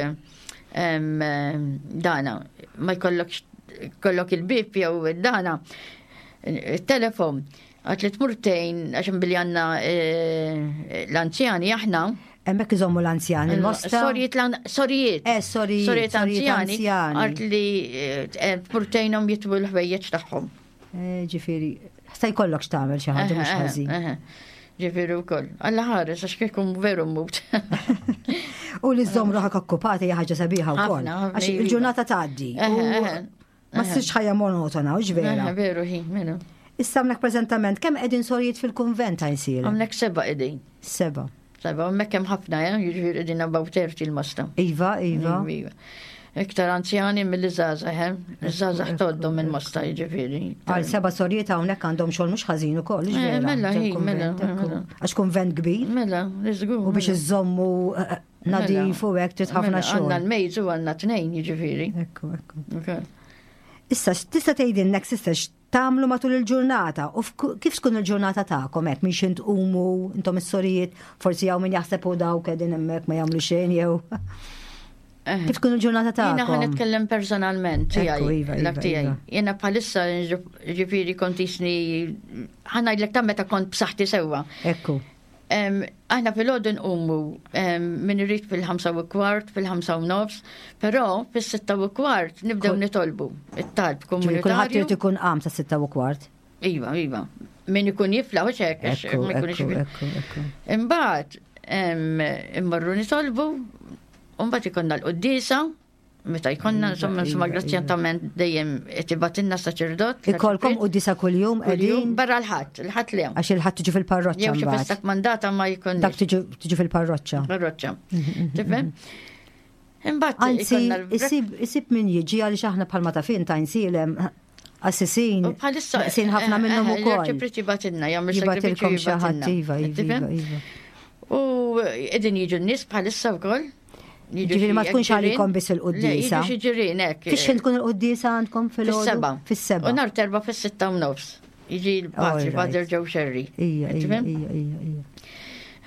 dana, ma jkollokx kollok il-bib jew dana, il-telefon. Għat li tmur tgħin għax billi għandna eh, l-anzjani aħna. Hemmhekk iżommu l-anzjani il-mosta. Sorijiet sorijiet. Eh, sorijiet. Sorijiet anzjani. Għat li eh, tmur tgħinhom jitwu l-ħwejjeġ tagħhom. Eh, ġifieri, se jkollok x'tagħmel xi ħaġa mhux ħażin. Ġifieri wkoll. Alla ħares għax kieku veru mmut. U li żżomm ruħek okkupata hija ħaġa sabiħa wkoll. Għax il-ġurnata tgħaddi. Ma ssirx ħajja monotona, u vera. Veru, hi, menu. Issa għamlek preżentament, kemm qegħdin sorijiet fil-kunvent għajnsiel? Għamlek seba qegħdin. Seba. Seba, hemmhekk hemm ħafna, eh, jiġifieri qegħdin about 30 il-mosta. Iva, iva. Iva. Iktar anzjani mill żgħażagħ, eh? Iż-żgħażagħ toddhom il-mosta jiġifieri. Għal seba sorijiet hawnhekk għandhom xogħol mhux ħażin ukoll, eh, Mela, mela, mela. Għax kunvent kbir. Mela, żgur. U biex iżommu eh, Nadif u hekk trid ħafna mela, xogħol. Għandna l-mejz u għandna tnejn jiġifieri. Ekku, ekku. Issa, tista' tgħidilna sister x'tagħmlu matul il-ġurnata u kif tkun il-ġurnata tagħkom hekk minn xi tqumu intom is-sorijiet, forsi hawn min jaħseb u dawk qegħdin hemmhekk ma jagħmlu xejn jew. Eh. Kif tkun il-ġurnata tagħkom? Jiena ħa nitkellem personalment tiegħi, iva, dak iva, tiegħi. Iva. Jiena bħalissa ġifieri kont jisni ħa ngħidlek ta' meta kont b'saħħti sewwa. Ekku. Aħna fil-ħodu nqumu min irid fil-5 u kwart, fil-5 u nofs, però fis-6 u kwart nibdew nitolbu it-talb komunitarju. Kulħadd irid ikun qam sa 6:15. Iva, iva. Min ikun jifla u hekk, ma jkunx Imbagħad immorru nitolbu, u mbagħad ikollna l-quddiesa, Meta jkollna, insomma, insomma, grazzjatament dejjem qed ibatilna saċerdot. Ikolkom quddiesa kuljum qegħdin? Barra l-ħadd, il-ħadd le. Għax il-ħadd tiġu fil-parroċċa. Jew xi festa kmandata ma jkun. Dak tiġu fil-parroċċa. Parroċċa. Tifhem? Imbagħad. Anzi, isib min jiġi għaliex aħna bħalma ta' fin ta' insilem Assisin. Bħalissa. Sin ħafna eh, minnhom eh, ukoll. Ċipriċi batinna, jagħmel sagrifiċċju xi ħadd iva, iva, iva. U qegħdin jiġu n-nies bħalissa wkoll. Ġifieri ma tkunx għalikom biss il-quddiesa. Jiġu xi ġirien hekk. Fix tkun il-quddiesa għandkom fil-seba. Fis-seba. U nhar terba fis-6:30. Jiġi l-patri, Father Joe Sherry. Ija, ija, ija, ija.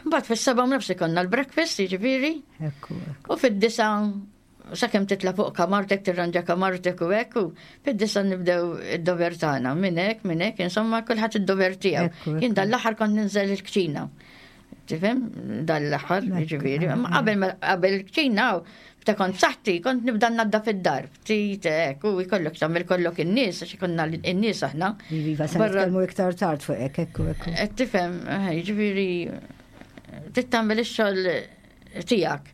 Mbagħad fis-7:30 ikollna l-breakfast, jiġifieri. U fid-9 sakemm titla' fuq kamartek, tirranġa kamartek u hekk, u fid-9 nibdew id-dover tagħna, minn hekk, minn hekk, insomma kulħadd id-dover tiegħu. Jien dan l-aħħar kont ninżel il-kċina. Tifhem? Dan l-aħħar, jiġifieri. Qabel qabel il-kċina, ta' kont saħti, kont nibda nadda fid-dar, ftit hekk, u jkollok tagħmel kollok in-nies, għax ikollna in-nies aħna. Iva, se nitkellmu iktar tard fuq hekk, ekku, ekku. Tifhem, jiġifieri, trid tagħmel ix-xogħol tiegħek.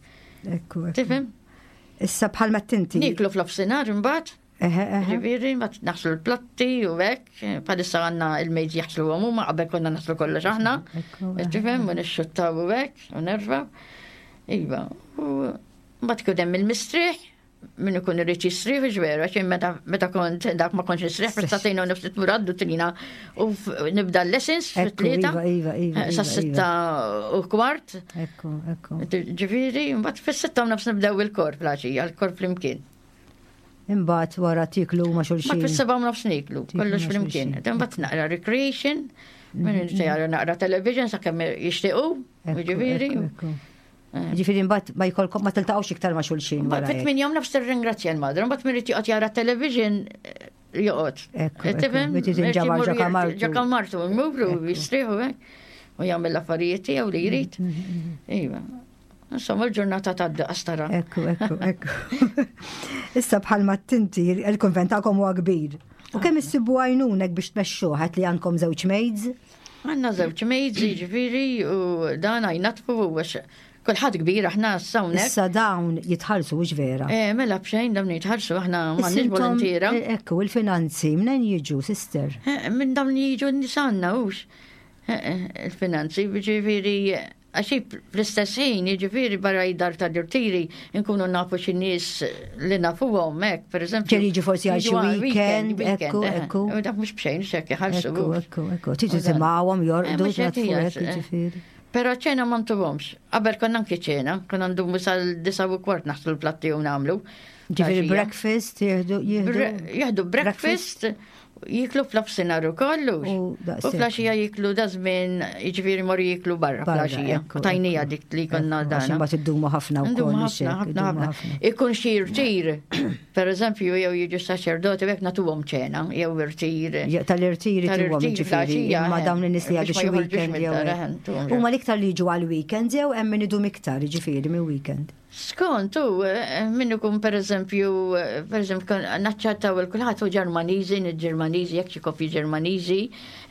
Ekku, Tifhem? Issa bħal ma tinti. Niklu fl-ofsinhar imbagħad. Ġifieri, ma naħslu l-platti u hekk, bħalissa għandna il-mejt jaħslu għom huma qabel konna naħslu kollox aħna. Tifhem, u nixxuttaw u hekk, u nerfa. Iva, u mbagħad ikun hemm il-mistrieħ. Min ikun irid jistrieħ ġvera, xejn meta kont dak ma kontx nistrieħ, fis-satejn u nofs tmur għad-duttrina u nibda l-lessons fit-tlieta. Iva, iva, iva, Sa 6:15. Ekku, ekku. Ġifieri, mbagħad fis-6 u nofs nibdew il-kor fl-għaxija, il-kor flimkien. Imbagħad wara tiklu ma' xulxin. Ma fis-7:30 niklu, kollox flimkien. Imbagħad naqra recreation, minn mm-hmm. naqra television sakemm jixtiequ, ġifieri. Eh. Ġifieri mbagħad ma jkollkom ma tiltaqgħux iktar ma' xulxin. Mbagħad fit-tmien jom nofs tirringrazzja l-madre, mbagħad min irid joqgħod jara television eh, joqgħod. Tifhem? Ġo kamartu. Ġo kamartu, imur u jistrieħu hekk u jagħmel l-affarijiet tiegħu li jrid. Mm, mm, mm, iva. Insomma, l-ġurnata ta' qastara. Ekku, ekku, ekku. Issa bħalma tinti, il-konvent tagħkom huwa kbir. U kemm issibu għajnunek biex tmexxuh li għandkom żewġ maids? Għandna żewġ maids, jiġifieri, u dan għajnatfu għax kulħadd kbir aħna hawnhekk. Issa dawn jitħallsu hux vera? Eh, mela b'xejn dawn jitħallsu aħna m'għandniex volontiera. Eh, ekku, il-finanzi minn jiġu, sister? Eh, minn dawn jiġu n-nisanna hux. Eh, il-finanzi, ġifieri Għax hi fl-istess ħin, jiġifieri barra id-dar tal-irtiri, nkunu nafu xi nies li nafuhom hekk, pereżempju. Ġieli jiġu forsi għal xi weekend, ekku, ekku. Dak mhux b'xejn x'hekk iħallsu. Ekku, ekku, ekku. Tiġu timgħuhom jorqdu, jiġifieri. Però ċena ma ntuhomx. Qabel konna anki ċena, konna ndumu sal-9:15 naħslu l-platti u nagħmlu. Ġifieri breakfast jieħdu jieħdu breakfast Jiklu fl-ofsinar ukoll u flaxija jiklu da żmien jiġifieri mor jiklu barra flaxija. Tajnija dik li konna dan. Imbagħad iddumu ħafna wkoll. Ħafna ħafna ħafna. Ikun xi irtir, per eżempju jew jiġu saċerdoti hekk nagħtuhom ċena jew irtir. Tal-irtiri tuhom ġifieri imma dawn in-nies li għadu xi weekend jew. Huma l-iktar li jiġu għal weekend jew hemm min idum iktar jiġifieri minn weekend. Skont u eh, min ikun pereżempju, eh, pereżempju naċċettaw il kulħadd u Ġermaniżi, Ġermaniżi, jekk xi koppji Ġermaniżi,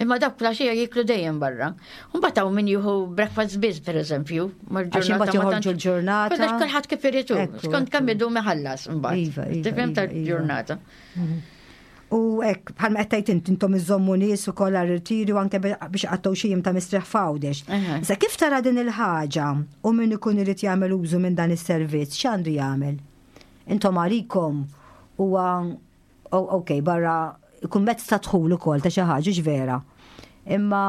imma dak flaxija jiklu dejjem barra. Mbagħad hawn min jieħu breakfast biss pereżempju, mal-ġurnata joħorġu l-ġurnata. Kulħadd kif irid skont kemm idum iħallas mbagħad. Iva, iva, Tifhem iva, tal-ġurnata. Mhm. U hekk bħalma qed tgħid int intom iżommu nies ukoll għal irtiri u anke biex qattgħu xi jiem ta' mistrieħ f'Għawdex. Issa kif tara din il-ħaġa u min ikun irid jagħmel użu minn dan is-servizz x'għandu jagħmel? Intom għalikom huwa ok barra ikun mezz ta' dħul ukoll ta' xi ħaġa vera. Imma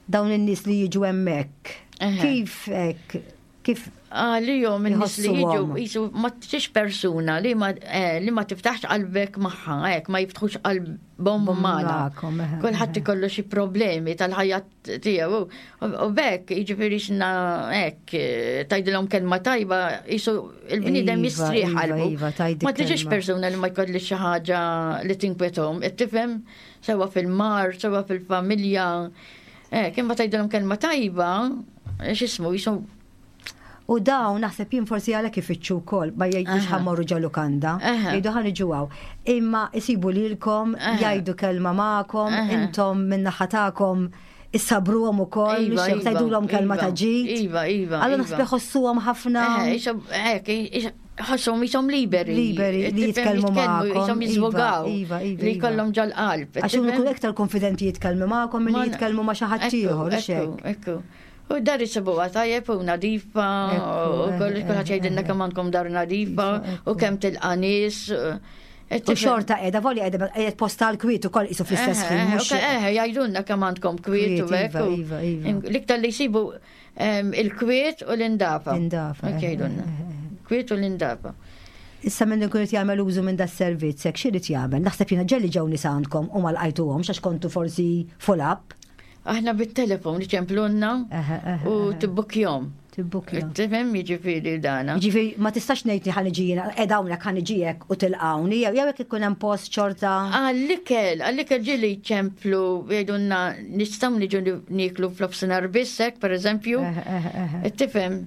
dawn in-nies li jiġu hemmhekk. Kif hekk kif Għalihom in-nies li jiġu jisu ma tix persuna li ma eh, li ma tiftaħx qalbek magħha, hekk ma jiftħux qalbhom magħna. Kulħadd ikollu xi problemi tal-ħajja tiegħu. U bekk jiġifieri xna hekk eh, tgħidilhom kelma tajba jisu il-bniedem Iva, jistrieħ iva, qalbu. iva, tgħidli Ma tiġix kelma. persuna li ma jkollix xi ħaġa li tinkwetahom, tifhem sewa fil-mar, sewa fil-familja. Eh, kien ma tgħidilhom kelma tajba, eh, x'ismu jisu U dawn naħseb jien forsi għalhekk ifittxu wkoll ma jgħidux ħammorru ġo lukanda, jgħidu ħa niġu hawn. Imma isibu lilkom, jgħidu kelma magħkom, intom min-naħa tagħkom issabruhom ukoll, Iva, mhux iva, tgħidulhom kelma iva, ta' ġid. Iva, iva. Allura iva. naħseb iħossuhom ħafna. Eh, ħossuhom jisom liberi. Liberi li jitkellmu magħkom. Jisom iva, jiżvogaw. Iva, iva. Li iva. jkollhom ġol-qalb. Għax huma jkunu iktar konfidenti jitkellmu magħkom milli jitkellmu ma' xi ħadd ieħor, Ekku, ekku. U dar isibuha tajjeb u nadifa, u kollox kulħadd jgħidilna kemm għandkom dar nadifa, u kemm tilqa' nies. U xorta qiegħda voli qiegħda qiegħed posta għal kwiet ukoll qisu fl-istess ħin. mhux. Eh, jgħidulna kemm għandkom kwiet u hekk. Iva, iva, iva. L-iktar li jsibu il-kwiet u l-indafa. L-indafa. Hekk jgħidulna. Kwiet u l-indafa. Issa minn ikun qed jagħmel użu minn das-servizz hekk x'irid jagħmel? Naħseb jiena ġelli ġew nies għandkom u ma lqajtuhomx għax kontu forsi full up. Aħna bit-telefon iċemplunna u tibbukjom. Tibbukjom. Tifhem jiġifieri dana. Jiġifieri ma tistax ngħid li ħaniġi jiena qiegħda hawnhekk ħaniġi hekk u tilqawni jew jew jekk ikun hemm post xorta. Għall-ikel, għall-ikel ġieli jċemplu jgħidulna nistgħu niġu nieklu fl-ofsinhar biss hekk pereżempju. Tifhem.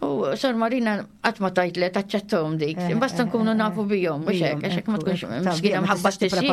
U Sor Marina qatt ma tajt le taċċettom dik. Basta nkunu nafu bihom, mhux hekk, għax hekk ma tkunx miskina mħabba tisir.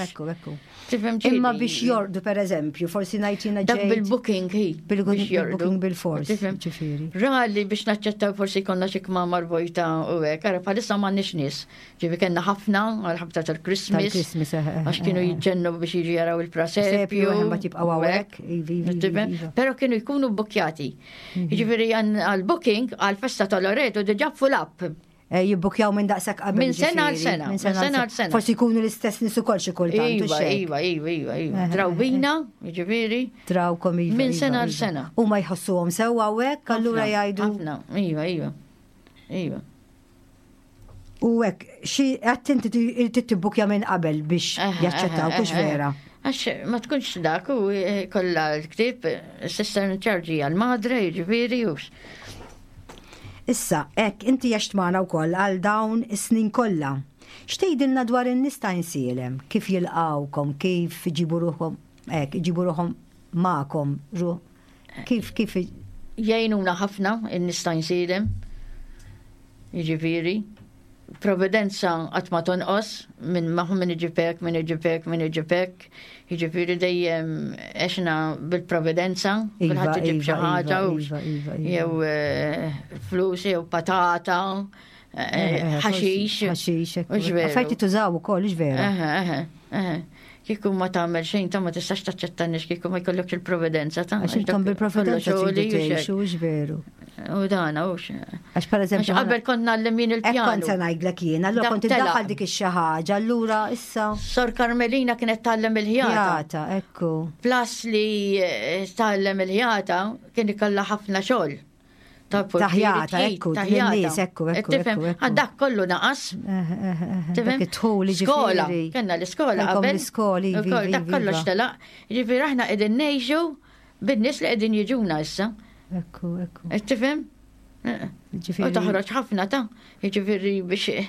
Ekku, ekku. Tifhem Imma biex jordu pereżempju, forsi ngħid jiena Dak bil-booking hi. Bil-booking bil-fors. Ġifieri. Rali biex naċċettaw forsi konna xi kmamar vojta u hekk, ara bħalissa m'għandniex nies. Ġifi kellna ħafna għal ħabta tal-Christmas. Tal-Christmas, eh, eh, Għax kienu eh, jiġġennu biex jiġu jaraw il-prasepju. Ma tibqgħu hawnhekk. Ivi, ivi, iva. Però kienu jkunu bukjati. Mhm. Jiġifieri għal-booking għal-festa tal-Loreto diġà full up. Eh, jibbukjaw minn daqshekk qabel. Minn sena għal sena. Minn sena għal sena. Forsi jkunu l-istess nies ukoll xi kultant. Iva, iva, iva, iva, iva. Eh, Drawbina, eh, jiġifieri. Drawkom iva. Minn sena iva, għal sena. U ma jħossuhom sewwa hawnhekk, allura jgħidu. Ħafna, iva, iva. Iva. U hekk, xi qed inti tibbukja minn qabel biex jaċċettaw, kux vera. Għax ma tkunx dak u kollha l-ktieb, sister in charge hija l-madre, jiġifieri u Issa, hekk inti għext magħna wkoll għal dawn is-snin kollha. X'tgħidilna dwar in-nies ta' Għajnsielem? Kif jilqgħukom, kif iġibu ruħhom, hekk, iġibu ruħhom magħkom, kif, kif. Jgħinuna ħafna in-nies ta' Għajnsielem, jiġifieri. Providenza qatt ma tonqos minn magħhom min iġib hekk, min iġib hekk, min iġib hekk. Jiġifieri dejjem għexna bil-providenza, iva, kulħadd iġib xi iva, ħaġa iva, iva, jew eh, flus jew patata, eh, eh, ħaxix. Ħaxix, Affarijiet tużaw ukoll, vera. Kieku ma tagħmel xejn ta' ma tistax taċċetta nies kieku ma jkollokx il-providenza ta' Għax intom bil-providenza tridu tgħixu, veru. U dan hux. Għax pereżempju. Għax qabel kont ngħallem jien il-pjanu. Kont se ngħidlek jien, allura kont iddaħħal dik ix-xi ħaġa, allura issa. Sor Carmelina kienet tgħallem il-ħjata. Ħjata, ekku. Plus li eh, tgħallem il-ħjata kien ikollha ħafna xogħol. Ta' ħjata, ekku, lin-nies, ekku, ekku. Dak kollu naqas. Eh, eh, Tifhem? Skola, kellna l-iskola qabel. L-iskola, iva, Dak kollox telaq. Ġifieri aħna qegħdin ngħixu bin-nies li qegħdin jiġuna issa. Ekku, ekku. Tifhem? U toħroġ ħafna ta' jiġifieri biex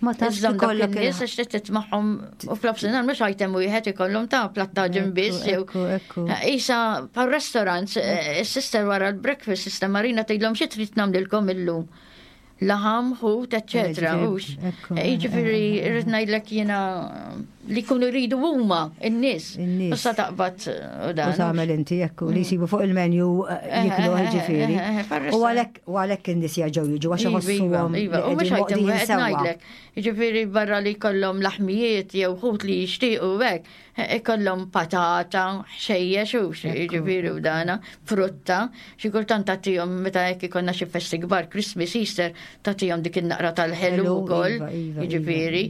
ma tafx ikollok nies għax trid titmagħhom u fl-ofsinhar mhux item wieħed ikollhom ta' plattaġin biss jew. Isa pa' restaurants, eh, is-sister wara l-breakfast, sister Marina tgħidlhom xi trid nagħmlilkom illum laħam, ħut, eccetera. Hux. Jiġifieri rrid ngħidlek jiena li jkunu jridu huma in-nies. Issa taqbad u dan. U tagħmel inti jekk li jsibu fuq il-menu eh, jiklu eh, eh, ġifieri. U għalhekk u għalhekk in-nies jerġgħu jiġu għax iva, iħossuhom. Iva, u mhux ħajtem wieħed ngħidlek. Jiġifieri barra li jkollhom laħmijiet jew ħut li jixtiequ hekk. Ikollhom patata, ħxejjex u jiġifieri u dana, frutta, xi kultant tagħtihom meta hekk ikollna xi festi kbar, Christmas, Easter, tagħtihom dik in-naqra tal-ħelu wkoll, iva, iva, iva, jiġifieri.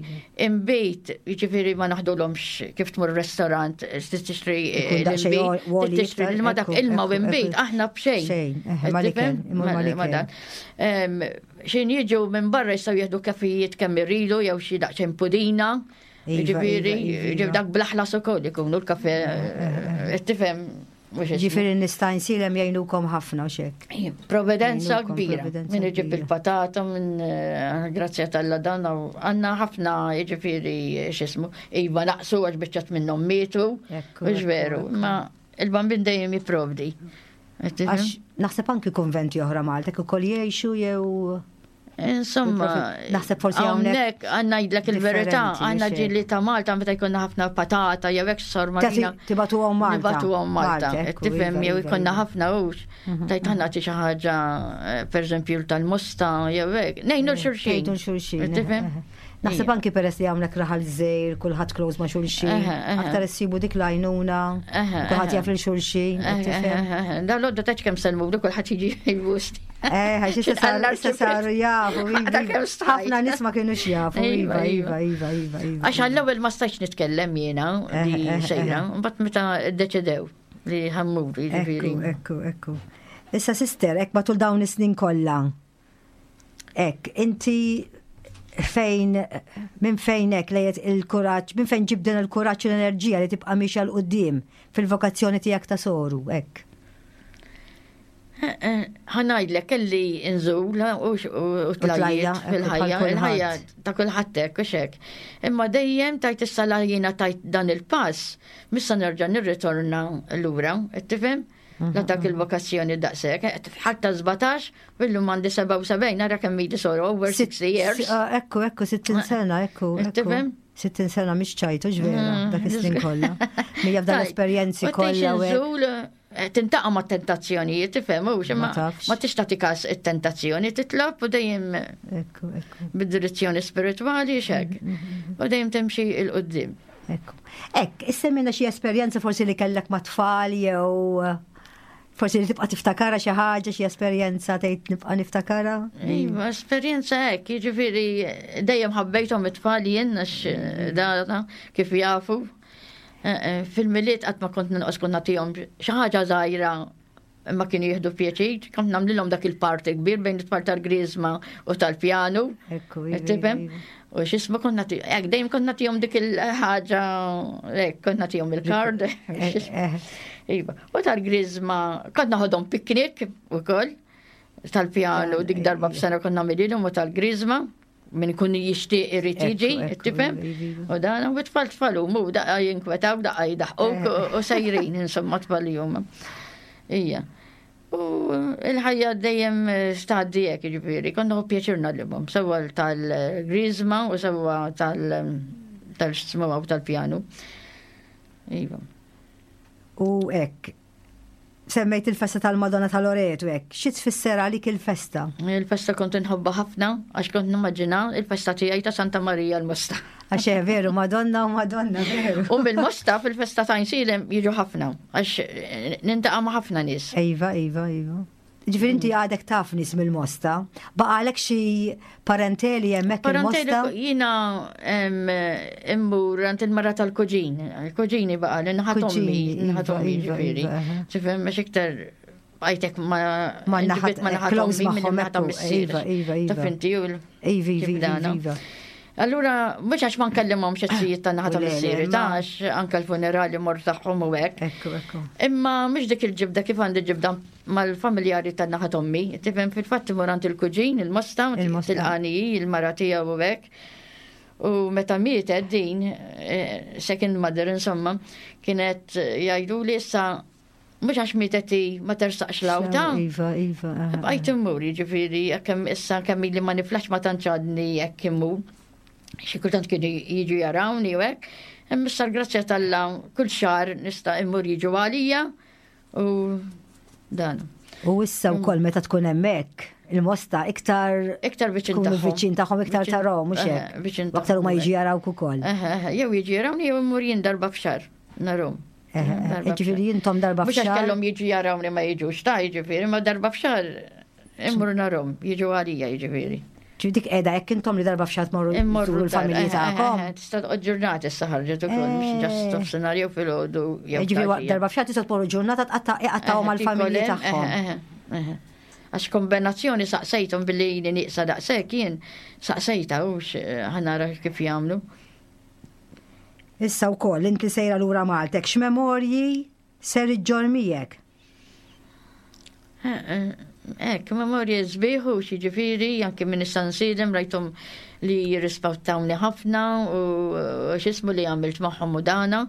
Imbejt, jiġifieri ma naħdulhomx kif tmur restaurant, tixtri l-inbid, tixtri ma dak ilma u inbid, aħna b'xejn. Xejn, ma Xejn jiġu minn barra jistgħu jieħdu kafijiet kemm iridu jew xi daqsxejn pudina. Iva, Ġifieri, iva, iva, ġif dak blaħlas ukoll ikunu l-kafe, eh, eh, tifhem. Ġifieri nista' nsilem jgħinukom ħafna u xek. Providenza kbira. Min iġib il-patata, minn eh, grazzja tal-la dan, għanna ħafna ġifieri xismu, iva naqsu għax biċċat minnhom mietu, mhux veru, ma il-bambin dejjem jipprovdi. Għax naħseb anki konventi oħra Malta ukoll jgħixu jew Insomma, naħseb forsi hawnhekk għandna jidlek il-verità, għandna ġili ta' Malta meta jkollna ħafna patata jew hekk sor Marina. Tibatuhom Malta. Tibatuhom Malta. Tifhem jew iva, jkollna iva. ħafna hux. Mhm. Tajt ħanna xi ħaġa eh, pereżempju tal-mosta jew hekk. Ngħinu eh, xulxin. Ngħinu xulxin. Tifhem? Eh, Naħseb anki peress li hawnhekk raħal żejr, kulħadd close ma' xulxin, aktar issibu dik l-għajnuna, kulħadd jaf lil xulxin. Dan l-għodda taċ kemm selmu, kulħadd jiġi jbust. Eh, issa saru jafu. Iva. Ħafna nies ma kienux jafu. Iva, iva, iva, iva, iva. Għax għall-ewwel ma stajtx nitkellem jiena li sejra, mbagħad meta ddeċidew li ħammur, jiġifieri. Ekku, ekku. Issa sister, hekk matul dawn is-snin kollha. Hekk, inti fejn minn fejn hekk lejt il-kuraġġ, minn fejn ġib din il-kuraġġ u l-enerġija li tibqa' mixja 'l quddiem fil-vokazzjoni tiegħek ta' soru, hekk. Ħa ngħidlek kelli nżul u tlajjiet fil-ħajja, il-ħajja ta' kulħadd hekk u xek. Imma dejjem tajt issa la jiena tajt dan il-pass, missa nerġa' nirritorna lura, tifhem? La dak il-vokazzjoni daqshekk, ħadd ta' 17, illum għandi 77, nara kemm ili soru over 60 years. Ah, ekku, ekku, 60 sena, ekku. Tifhem? 60 sena mhix ċajtu ġvera, mm. dak is-snin kollha. Mija f'dan l-esperjenzi kollha. Eh, tintaqa' ma' tentazzjonijiet, tifhem, hux, imma ma tix tagħti każ it-tentazzjoni, titlob u dejjem bid-direzzjoni spiritwali xek. Mm, mm, mm, u dejjem timxi il qudiem Ekku. Ek, issemmina xi esperjenza forsi li kellek ma' tfal jew eh, Forsi li tibqa' tiftakara xi ħaġa, xi esperjenza tgħid nibqa' niftakara? Iva, esperjenza hekk, jiġifieri dejjem ħabbejthom it-tfal jien għax eh, dana kif jafu. Eh, eh, fil-miliet qatt ma kont ninqos kont nagħtihom xi ħaġa żgħira imma kienu jieħdu pjaċir, kont nagħmlilhom dak il-parti kbir bejn it-tfal tal-griżma u tal-pjanu. Ekku, iva, Tifhem? iva. U x'ismu kont nagħti, hekk dejjem kont nagħtihom dik il-ħaġa, hekk kont nagħtihom il-kard. Eh, eh. Iva. U tal-griżma kont naħodhom piknik ukoll tal-pjanu dik darba f'sena kont nagħmililhom u tal-griżma min ikun jixtieq irid jiġi, tifhem? iva, iva. U dan u tfal tfal huma u daqqa jinkwetaw, daqqa jidaħquk Eh. u sejrin insomma tfal li huma. Ija. U il-ħajja dejjem staddi hekk jiġifieri, kont nieħu pjaċir nagħlimhom, sewwa tal-griżma u sewwa tal tal-x'ismu u tal-pjanu. Iva. U hekk, semmejt il-festa tal-Madonna ta' Loreto hekk, xi tfisser għalik il-festa? Il-festa kont inħobbha ħafna għax kont nimmaġina il-festa tiegħi ta' Santa Marija l-Mosta. Għax eh, veru, Madonna u Madonna, veru. U mill-Mosta fil-festa ta' Għajnsielem jiġu ħafna għax eh, nintaqa' ma' ħafna nies. Iva, iva, iva. Ġifieri inti għadek taf nies mill-Mosta. Baqalek xi parenteli hemmhekk Parenteli il-Mosta? jiena em, immur għand il-mara tal-kuġin. Il-kuġini baqa' li naħat ommi, Kuġini, iva, naħat ommi iva, ġifieri. iva, aha. Tifhem mhux iktar bqajtek ma Ma inti naħat- bit ma naħat close ommi minn magħhom, naħat ekku, missier. iva, iva, iva. Taf inti u l- Iva, kif iva, iva, dana. iva. Allura, mhux għax ma nkellimhom xi ta' naħa ta' U le, le, missieri, ma- ta' għax anke l-funerali mor tagħhom u hekk. Ekku, ekku. Imma mhux dik il-ġibda kif għandi ġibda mal-familjari ta' naħa ommi. Tifhem fil-fatt imur għand il-kuġin, il-mosta, Il-Mosta. tilqani il-mara tiegħu u hekk. U meta mietet din, eh, second mother insomma, kienet eh, jgħidu li issa mhux għax mietet hi ma tersaqx lawta. Iva, iva. aha, Bqajt immur, jiġifieri, kemm issa kemm ili ma niflax ma tantx għadni hekk immur. Xi kultant kienu jiġu jarawni u hekk. Imma issa l-grazzja t'Alla kull xahar nista' immur jiġu għalija u dan. U issa wkoll meta tkun hemmhekk, il-Mosta iktar Iktar viċin tkunu tagħhom. viċin tagħhom iktar Viċin- tarahom mhux Eħe, hekk. viċin U aktar huma tagħhom, jiġi jarawk ukoll. Eħe, eħe, Jew jiġu jarawni jew immur jien darba f'xahar narhom. Eħe, eħe, Darba Ġifieri f'xahar. intom darba Mhux għax f'xahar. kellhom jiġu jarawni ma jiġux ta' jiġifieri, ma darba f'xahar immur narhom, jiġu għalija jiġifieri. Ġifieri dik qiegħda hekk intom li darba f'xahar tmorru Immorru żuru l-familji d-dar, eh, tagħkom. eh, eh, Tista' toqgħod ġurnata issa ħarġet ukoll mhux Eh. ġast nofsinhar jew filgħodu jew Ġifieri tgħaxija. darba f'xahar tistgħu tmorru ġurnata tqatta' iqattgħu Eh, mal-familji tikol hemm, tagħhom. eh, eh, eh. Għax kombinazzjoni saqsejthom billi jini nieqsa daqshekk jien saqsejta u ħanara kif jagħmlu. Issa wkoll inti sejra lura Maltek, x'memorji ser iġġor miegħek? Eh, eh, Ek, memorji sbieħu, ġifieri, anke minn issa nsilem rajthom li jirrispettawni ħafna u u x'ismu li għamilt magħhom u dana.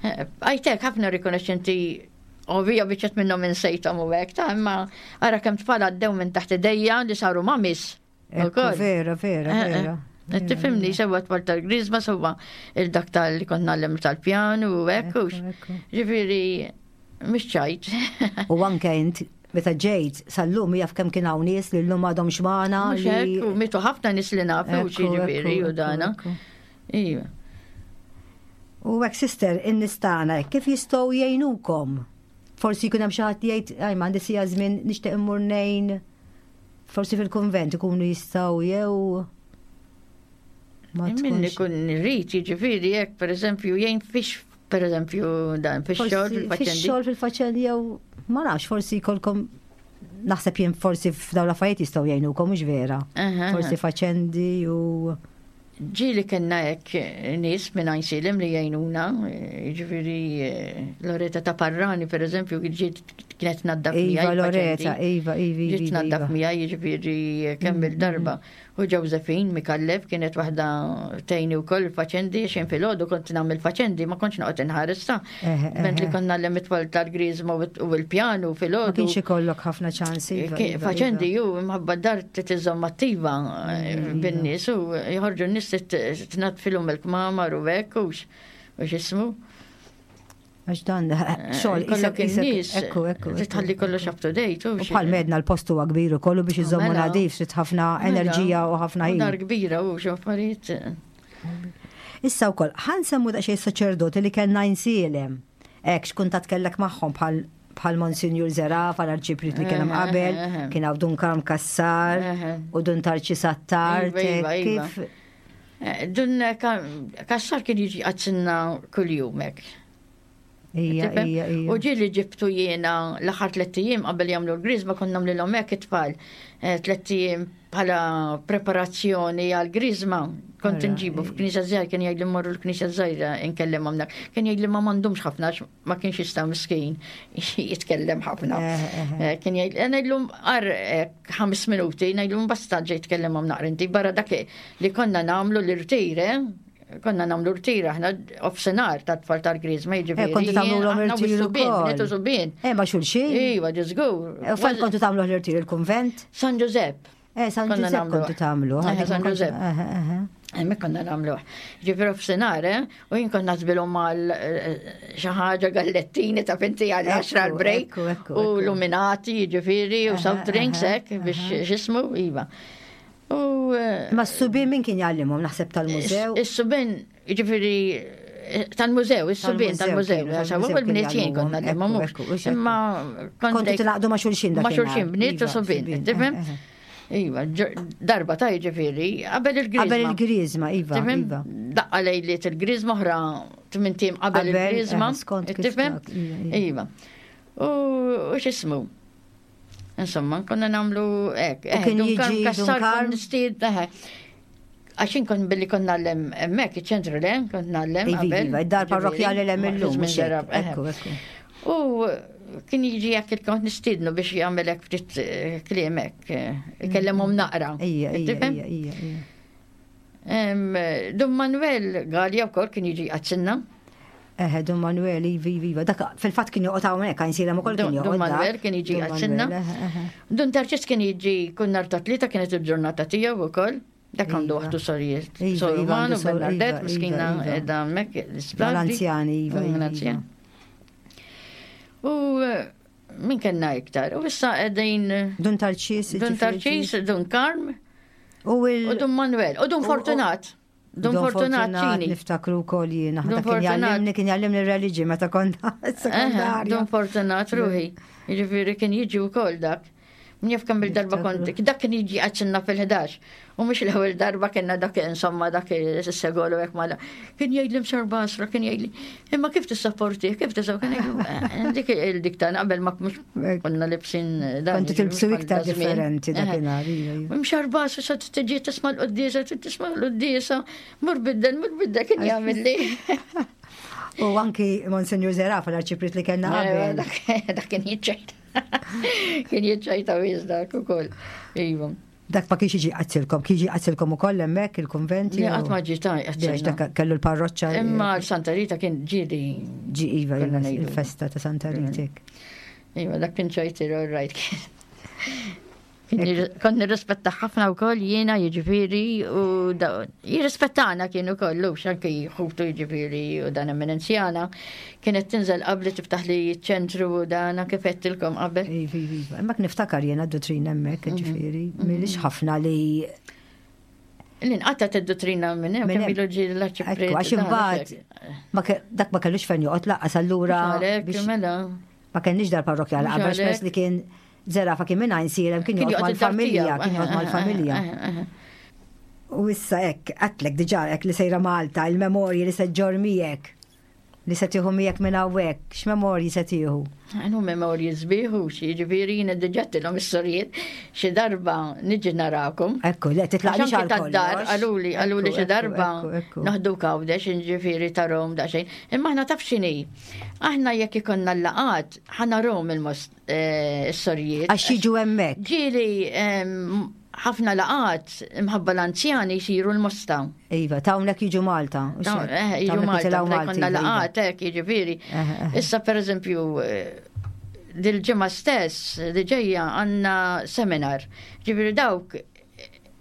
Eh, Għajtek ħafna rikonoxxenti ovvija biċċet minnhom insejthom u hekk ta' imma ara kemm tfal għaddew minn taħt idejja li saru mamis. Ekku, ukoll. vera, vera, Eh, eh. vera. Qed Tifhimni sewwa tfal tal-griżma sewwa il-dak tal-li kont nagħlem tal-pjanu u hekk hux. Ekku, ekku. Ġifieri mhux ċajt. U anke int meta ġejt sal-lum jaf kemm kien hawn nies li llum għadhom xmana Mhux li hekk, u mitu ħafna nies li nafu Ekku, xi ġifieri ekku, u dana. ekku, Iva. U hekk sister, in-nies tagħna kif jistgħu jgħinukom? Forsi jkun hemm xi ħadd jgħid, aj m'għandi sija żmien nixtieq immur ngħin. Forsi fil-kunvent ikunu jistgħu jew ma Min tkunx. ikun rrit, jiġifieri jekk pereżempju jgħin fix pereżempju dan fix-xogħol Forsi fil-faċendi. Fix-xogħol fil-faċendi jew ma nafx forsi jkollkom naħseb jien forsi f'dawn l-affarijiet jistgħu jgħinukom mhux vera. Aha, Forsi faċendi u Ġieli kellna hekk nies minn Għajnsielem li jgħinuna, jiġifieri eh, Loreta ta' Parrani pereżempju ġiet kienet naddaf Iva miegħi Loreta, il-faċendi. Iva, Iva, Ġiet Iva, naddaf Iva. miegħi jiġifieri kemm il-darba. U Josephine Mikallef kienet waħda tgħinni wkoll il-faċendi xejn filgħodu kont nagħmel faċendi ma kontx noqgħod inħares ta' Eħe, Mentri eħe. kont nagħlem it-tfal tal-griżma u l-pjanu Ma filgħodu. kienx ikollok ħafna ċans. Iva, Ki- Iva, Faċendi Iva. ju imħabba dar titiżom attiva eh, bin-nies u jħorġu n-nies tnatfilhom il-kmamar u hekk u x- u x'ismu. Għax dan, xogħol, Eh, Kollok isek- isek- in-nies Ekku, ekku. ekku. titħalli kollox up to date. U bħal medna l-post huwa kbir ukoll u biex iżommu Mela. nadif trid ħafna enerġija u ħafna Dar ħin. kbira u x'affarijiet. Issa wkoll ħa nsemmu daqsxejn saċerdoti li kellna jinsielem. Hekk x'kuntat kellek magħhom bħal Bħal Monsinjur Zerafa, l-arċipriet li kien hemm qabel, kien hawn Dun Karm Kassar u Dun Tarċi Sattar. Iva, iva, iva. Kif Eh, Dun Kassar kien jiġi għadsinna kull-jum hekk. Ija, Tifhem? ija, ija. U ġieli ġibtu jiena l-aħħar tlett ijiem qabel jagħmlu l-griżma konna nagħmlilhom hekk it-tfal. Eh, Tlett ijiem bħala preparazzjoni għal griżma. Kont Ara, nġibu f'knisja żgħira kien jgħidli mmorru l-knisja żgħira nkellimhom dak. Kien jgħidli ma m'għandhomx ħafna għax ma kienx jista' miskin jitkellem ħafna. Eh, eh, Eh, Kien jgħid eh, ngħidlhom qar ħames minuti, ngħidlhom basta ġej tkellimhom naqra inti barra dak li konna nagħmlu l-irtir, eh? Konna nagħmlu rtir aħna offsenar tat-tfal tal-griżma jiġifieri. Eh, kontu tagħmluhom aħna irtir was-subien, ukoll. bniet u subien. Eh, ma xulxin. Iva, ġiżgur. U fejn kontu tagħmlu l-irtir il-kunvent? San Giuseppe. Eh, San Konna Giuseppe nagħmlu. kontu tagħmlu. Eh, dik San ma kont- Giuseppe. Eh, eh, eh. Hemmhekk konna nagħmluh. Ġifieri f'senar, eh, u jien konna nasbilhom mal xi ħaġa gallettini ta' finti għal Ekku, 10 l-break ekku, ekku, u ekku. luminati, ġifieri, u Aha, soft drinks aha, hekk biex x'ismu, iva. U eh, Ma s-subien min kien jgħallimhom naħseb tal-mużew? Is-subien, ġifieri tal-mużew, is-subien Tal-mużew tal-mużew, kienu, għax tal-mużew u l-bniet kienu jien konna jgħallimhom, nagħlimhom ekku, ekku, mhux. ekku. Imma Kontu tilaqdu ma' xulxin Ma' dakinhar. xulxin, bniet u Iva, subien, subien, tifhem? eh, eh. Iva, darba ta' ġifieri, qabel il-griżma. Qabel il-griżma, iva, Tifhem? iva. Daqqa lejliet il-griżma oħra tmintim qabel Qabel, il-griżma. eh, skont kif Tifhem? dak, iva, iva. Iva. U u x'ismu? Insomma, konna namlu hekk. U kien eh, Dun Karm jiġi Dun Kassar Karm? kont nistied, eh, Għax kont billi kont nallem hemmhekk iċ-ċentru le, kont nallem Iva, qabel. iva, id-dar ġifieri, parrokkjali l-hemm ma' illum, żmien mhux hekk, darab, eh. ekku, ekku. U kien jiġi jekk il-kont nistiednu biex jagħmel hekk ftit eh, kliem hekk, eh, ikellimhom naqra. Ija, ija, Tifhem? ija, ija, ija. Em, Dun Manuel Gallia wkoll kien jiġi għadsinna. Eħe, Dun Manuel, iva, iva, iva. Dak fil-fatt kien joqgħod hawnhekk, għajn silem ukoll kien Dun joqgħod. Dun dak. Manuel kien jiġi Dun għadsinna. Manuel, eħe, eħe. Dun Tarċis kien jiġi kun nhar ta' tlieta kienet il-ġurnata tiegħu wkoll. Dak għandu Iva. waħdu sorijiet. Iva, Sor iva, Romano, għandu sor- Bernadette, iva, miskina iva, iva. edha hemmhekk l-isptar. L-anzjani, iva, iva, L-anzjani. iva. U eh, min kellna iktar? U issa qegħdin eh, Dun Tarċis. Dun ġifieri, Tarċis, Dun Karm U il. u Dun Manuel u Dun u- Fortunat. Dun Fortunat ċini. Niftakru wkoll jiena. Dun Dak kien Fortunat. jgħallimni, kien jgħallimni r-reliġi meta konna Eħe, sekondarja. Dun Fortunat ruħi. Jiġifieri kien jiġi wkoll dak. Min jaf kemm il-darba kont, dak kien jiġi għadsinna fil-11. U mhux l-ewwel darba kienna dak insomma dak is-segolu hekk mala. Kien jgħidli msar basra, kien jgħidli, imma kif tisapporti, kif tisapporti, kien jgħidli, dik il-dik ta' qabel ma mhux konna libsin dan. Kontu jiġifieri, tilbsu mhux bħal iktar da żmien. differenti Eħe. dakinhar. iva, iva. Mxar basra, sa tiġi tisma' l-qoddisa, tisma' l-qoddisa, mur biddel, mur biddel, kien jagħmel li. U anki Monsignor Zerafa, l-arċipriet li kellna qabel. Dak dak kien jiċċajta. Kien jiċċajta wis dak ukoll. Iva. Dak ma kienx jiġi għazzilkom, kien jiġi għazzilkom ukoll hemmhekk il-konventi. Li qatt ma ġi ta' Għax dak kellu l-parroċċa. Imma Santa Rita kien ġieli. Ġi iva, Konna iva, ngħidu. il-festa ta' Santa Ritek. Iva, dak kien ċajtir, all right. Kien Kont nirrispetta ħafna wkoll jiena jiġifieri u da- jirrispettana kien ukoll lux anke ħutu jiġifieri u dan eminenzjana kienet tinżel qabli tiftaħ li ċentru u dan anke fettilkom qabel. Iva, iva, iva. Imma niftakar jiena d-dottrina hemmhekk, Mhm. ġifieri, milix ħafna li L-inqatta id-dottrina minn hemm Minn kemm hemm. ilu ġie l-arċipriet. Ekku, għax imbagħad ma ke- dak ma kellux fejn joqgħod laqqas allura Għalhekk biex mela. ma kellniex dar parrokkjali Mhux qabel għax peress għalhekk. li kien Zerafa kien minn Għajnsielem kien Kien joqgħod joqgħod id-dar mal-familja, tiegħu. kien joqgħod mal-familja. U issa hekk, għatlek diġà hekk li sejra Malta, il-memorji li se ġġorr miegħek, li se tieħu miegħek minn hawnhekk, x'memorji se tieħu? Għanu memorji zbiħu, xi ġifieri jiena diġà tilhom is-sorijiet xi darba niġi narakom. Ekku, le titlaqniex Għax għal anki tad-dar, kollox. qaluli, qaluli Ekku, xi ekku, darba ekku, ekku. noħdu kawdex, ġifieri tarom daqsxejn. Imma aħna taf x'inhi. Aħna jekk ikonna l-laqat, ħana rom il-most eh, is-sorijiet. Għax jiġu hemmhekk. Ġieli em, ħafna laqat imħabba l-anzjani jsiru l-mosta. Iva, ta' hawnhekk jiġu Malta. u Dawn, xek. eh, Ta' Jiġu hawnhekk Malta, jitilgħu meta Malti, jkollna iva, iva. laqat, hekk jiġifieri. Eh, eh. Issa pereżempju eh, dil-ġimgħa stess li ġejja għandna seminar. Ġifieri dawk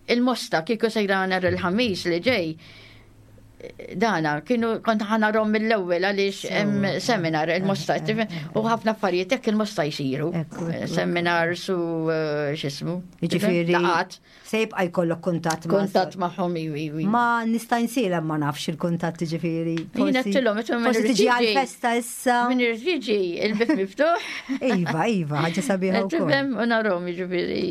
il-mosta kieku sejra nhar il-ħamis li ġej. Dana, kienu kont ħanarom mill-ewwel għaliex hemm seminar il-mosta u ħafna affarijiet hekk il-mosta jsiru. Seminars u eh, x'ismu. Jiġifieri se jibqa' jkollok kuntatt ma' kuntatt magħhom iwi. Ma nista' nsilem ma nafx il-kuntatt jiġifieri. Jien qedtilhom forsi tiġi għall-festa issa. Min irid jiġi il-bib miftuħ. Iva, iva, ħaġa sabiħa wkoll. Tifhem u narhom jiġifieri.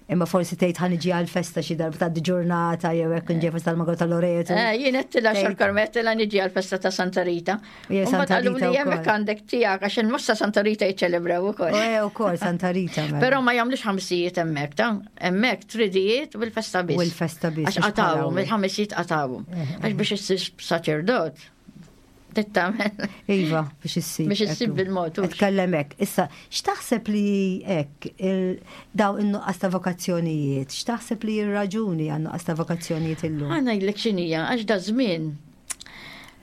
Imma forsi tgħid ħa niġi għall-festa xi darba tgħaddi ġurnata jew hekk nġej festa tal-Mago ta' Loreto. Eh, jien qed xorkor karmettila niġi għall-festa ta' Santa Rita. U Santa Rita li hemmhekk għandek tiegħek għax il-mossa Santa Rita jiċċelebraw ukoll. Eh, ukoll Santa Rita. Mela. Però ma jagħmlux ħamsijiet hemmhekk ta' hemmhekk tridijiet u l-festa biss. U l-festa biss. Għax qatawhom, il-ħamsijiet qatawhom. Eh, eh. Għax biex issir saċerdot Tittamel. Iva, biex issib. Biex issib bil-mod. Tkellem hekk. Issa, x'taħseb li hekk daw in-nuqqas ta' vokazzjonijiet, x'taħseb li r-raġuni għan nuqqas ta' vokazzjonijiet illum? Ħa ngħidlek x'inhija, għax da żmien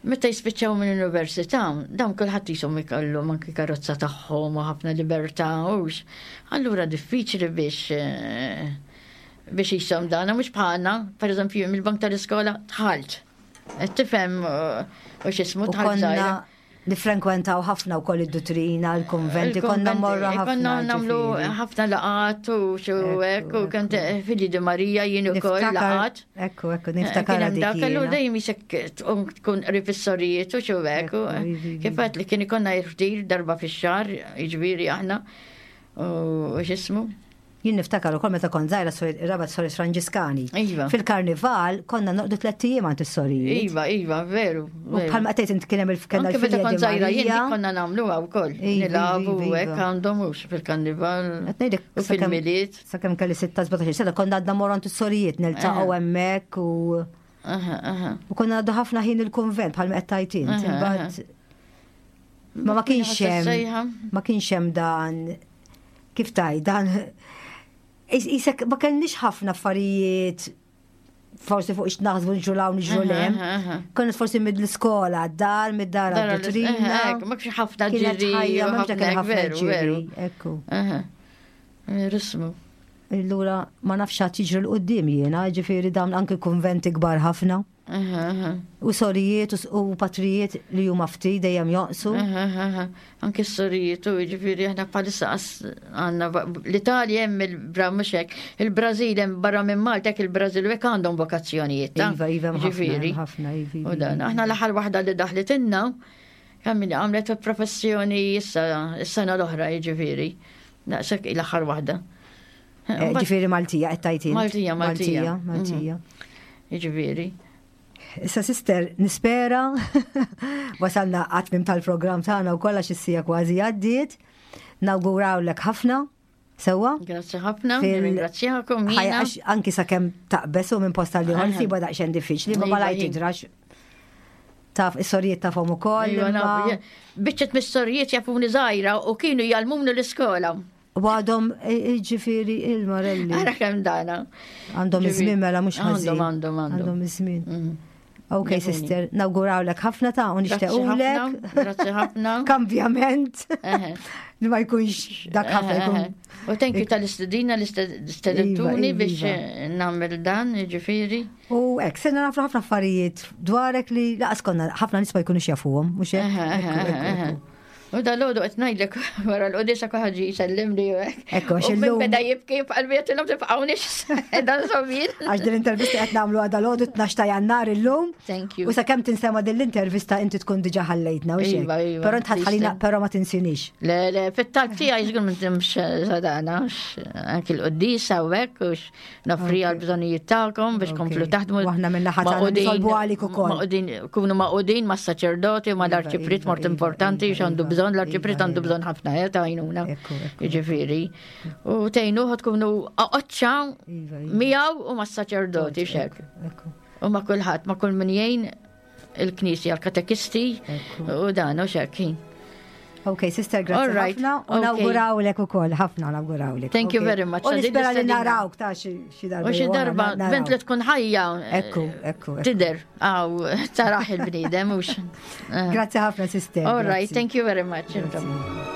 meta jispiċċaw minn università, dawn kulħadd jisom ikollhom anki karozza tagħhom u ħafna libertà hux. Allura diffiċli biex eh, biex jisom dan, mhux bħalna, pereżempju mill-bank tal-iskola tħalt. Qed tifhem u x'ismu tħalt Nifrenkwentaw ħafna wkoll id-duttrina, l-konventi, konna morra ħafna. Konna nagħmlu ħafna laqat u xu hekk u kont Fili di Marija jien ukoll laqat. Ekku, ekku, niftakar dik. Kellu dejjem isek tkun qrib is-sorijiet u xu hekk. Kif għedt li kien ikollna jirfdir darba fix-xahar, jiġifieri aħna u x'ismu. Jien niftakar ukoll meta kont żgħira ir-Rabat Sorijiet Franġiskani. Iva. Fil-karnival konna noqdu tlett ijiem għand is-sorijiet. Iva, iva, veru. U bħalma qed int kien hemm il-kellna Anke meta kont żgħira jien konna nagħmluha wkoll. Iva, Nilagħbu iva, hekk iva. għandhom hux fil-karnival. U fil-milied. Sakemm kelli 16 sena konna għadna morru għand is-sorijiet niltaqgħu hemmhekk u U konna għaddu ħafna ħin il-kunvent bħalma qed tgħid int. Imbagħad ma ma kienx hemm ma kienx hemm dan kif taj dan isek ma kellniex ħafna affarijiet forsi fuq ix naħsbu nġru law nġru lem. Konna forsi mid l-iskola, dar, mid-dar għad-dottrina. Ma kienx ħafna ġiri. Ma kienx ħafna ġiri. Ekku. Rismu. Allura ma nafx għad jiġri l-qoddim jiena, ġifieri dawn anki kunventi kbar ħafna. U sorijiet u patrijiet li huma ftit dejjem jonqsu. Anki s-sorijiet u jiġifieri aħna bħalissa għandna l-Italja hemm il-Bra mhux hekk, il-Brażil hemm barra minn Malta hekk il-Brażil u hekk għandhom vokazzjonijiet. Iva, iva, ġifieri. Ħafna, iva. U dan, aħna l-aħħar waħda li daħlitilna, kemm għamlet professjoni issa s-sena l-oħra jiġifieri. Daqshekk l-aħħar waħda. Eh, ġifieri Maltija qed tajtin. Maltija, Maltija. Maltija. Mhm. Jiġifieri. Issa sister, nispera wasalna għatmim tal-programm tagħna u kollha x'issija kważi għaddiet. Nawgurawlek ħafna. Sewa? Grazzi ħafna, ringrazzjakom. Anki sakemm taqbes u minn posta li ħol siba daqsxejn diffiċli, ma malaj tidrax. Taf, is-sorijiet tafhom ukoll. Iva, Biċċet mis-sorijiet jafuni żgħira u kienu jgħallmuni l-iskola. U għadhom e, e, ġifieri il-Marelli. Ara kemm dana. Għandhom iż-żmien mela mhux ħażin. Għandhom għandhom għandhom. Għandhom iż-żmien. Mhm. Ok, sister, nawgurawlek ħafna ta' u nixtiequlek. Grazzi ħafna. Kambjament. Li ma jkunx dak ħafna jkun. U thank you tal-istedina li stedentuni iva, biex iva. eh, nagħmel dan, ġifieri. U hekk, sena nafru ħafna affarijiet dwarek li laqas konna ħafna nies ma jkunux jafuhom, mhux hekk? U dal-għodu qed ngħidlek wara l-qudisa kulħadd ġie jsellimli u hekk. Ekku, għax illum. Beda jibki f'qalbi qed illum tibqgħunix dan żommin. Għax din l-intervista qed nagħmlu għada l-għodu 12 ta' Jannar illum. Thank you. U sakemm tinsema din l-intervista inti tkun diġà ħallejtna u xejn. Iva, iva, Però int ħalina però ma tinsinix. Le, le, fit-talb tiegħi żgur ma ntimx sadana, anki l-qudisa u hekk u Nofri għal bżonijiet tagħkom biex komplu taħdmu. Waħna minn naħa tagħna nitolbu għalik ukoll. Maqudin, kunu maqudin mas saċerdoti u mal-arċipriet mort iva, importanti iva, x'għandu iva, bżonn, l-arċipriet għandu bżonn ħafna eh, ta' għajnuna. Jiġifieri. U tgħinuh tkunu qoċċa miegħu u mas-saċerdoti xek. U ma' kulħadd, ma' kull min jgħin il-knisja, l-katekisti u dan u xekk. Ok, sister, grazie ħafna. U nawgurawlek ukoll, ħafna nawgurawlek. Thank you very much. U nispera li narawk ta' xi darba. U xi darba, bent li tkun ħajja. Ekku, ekku. Tider, għaw, taraħ il-bniedem, mux. Eh. Grazie ħafna, sister. All right, thank you very much. Grazie.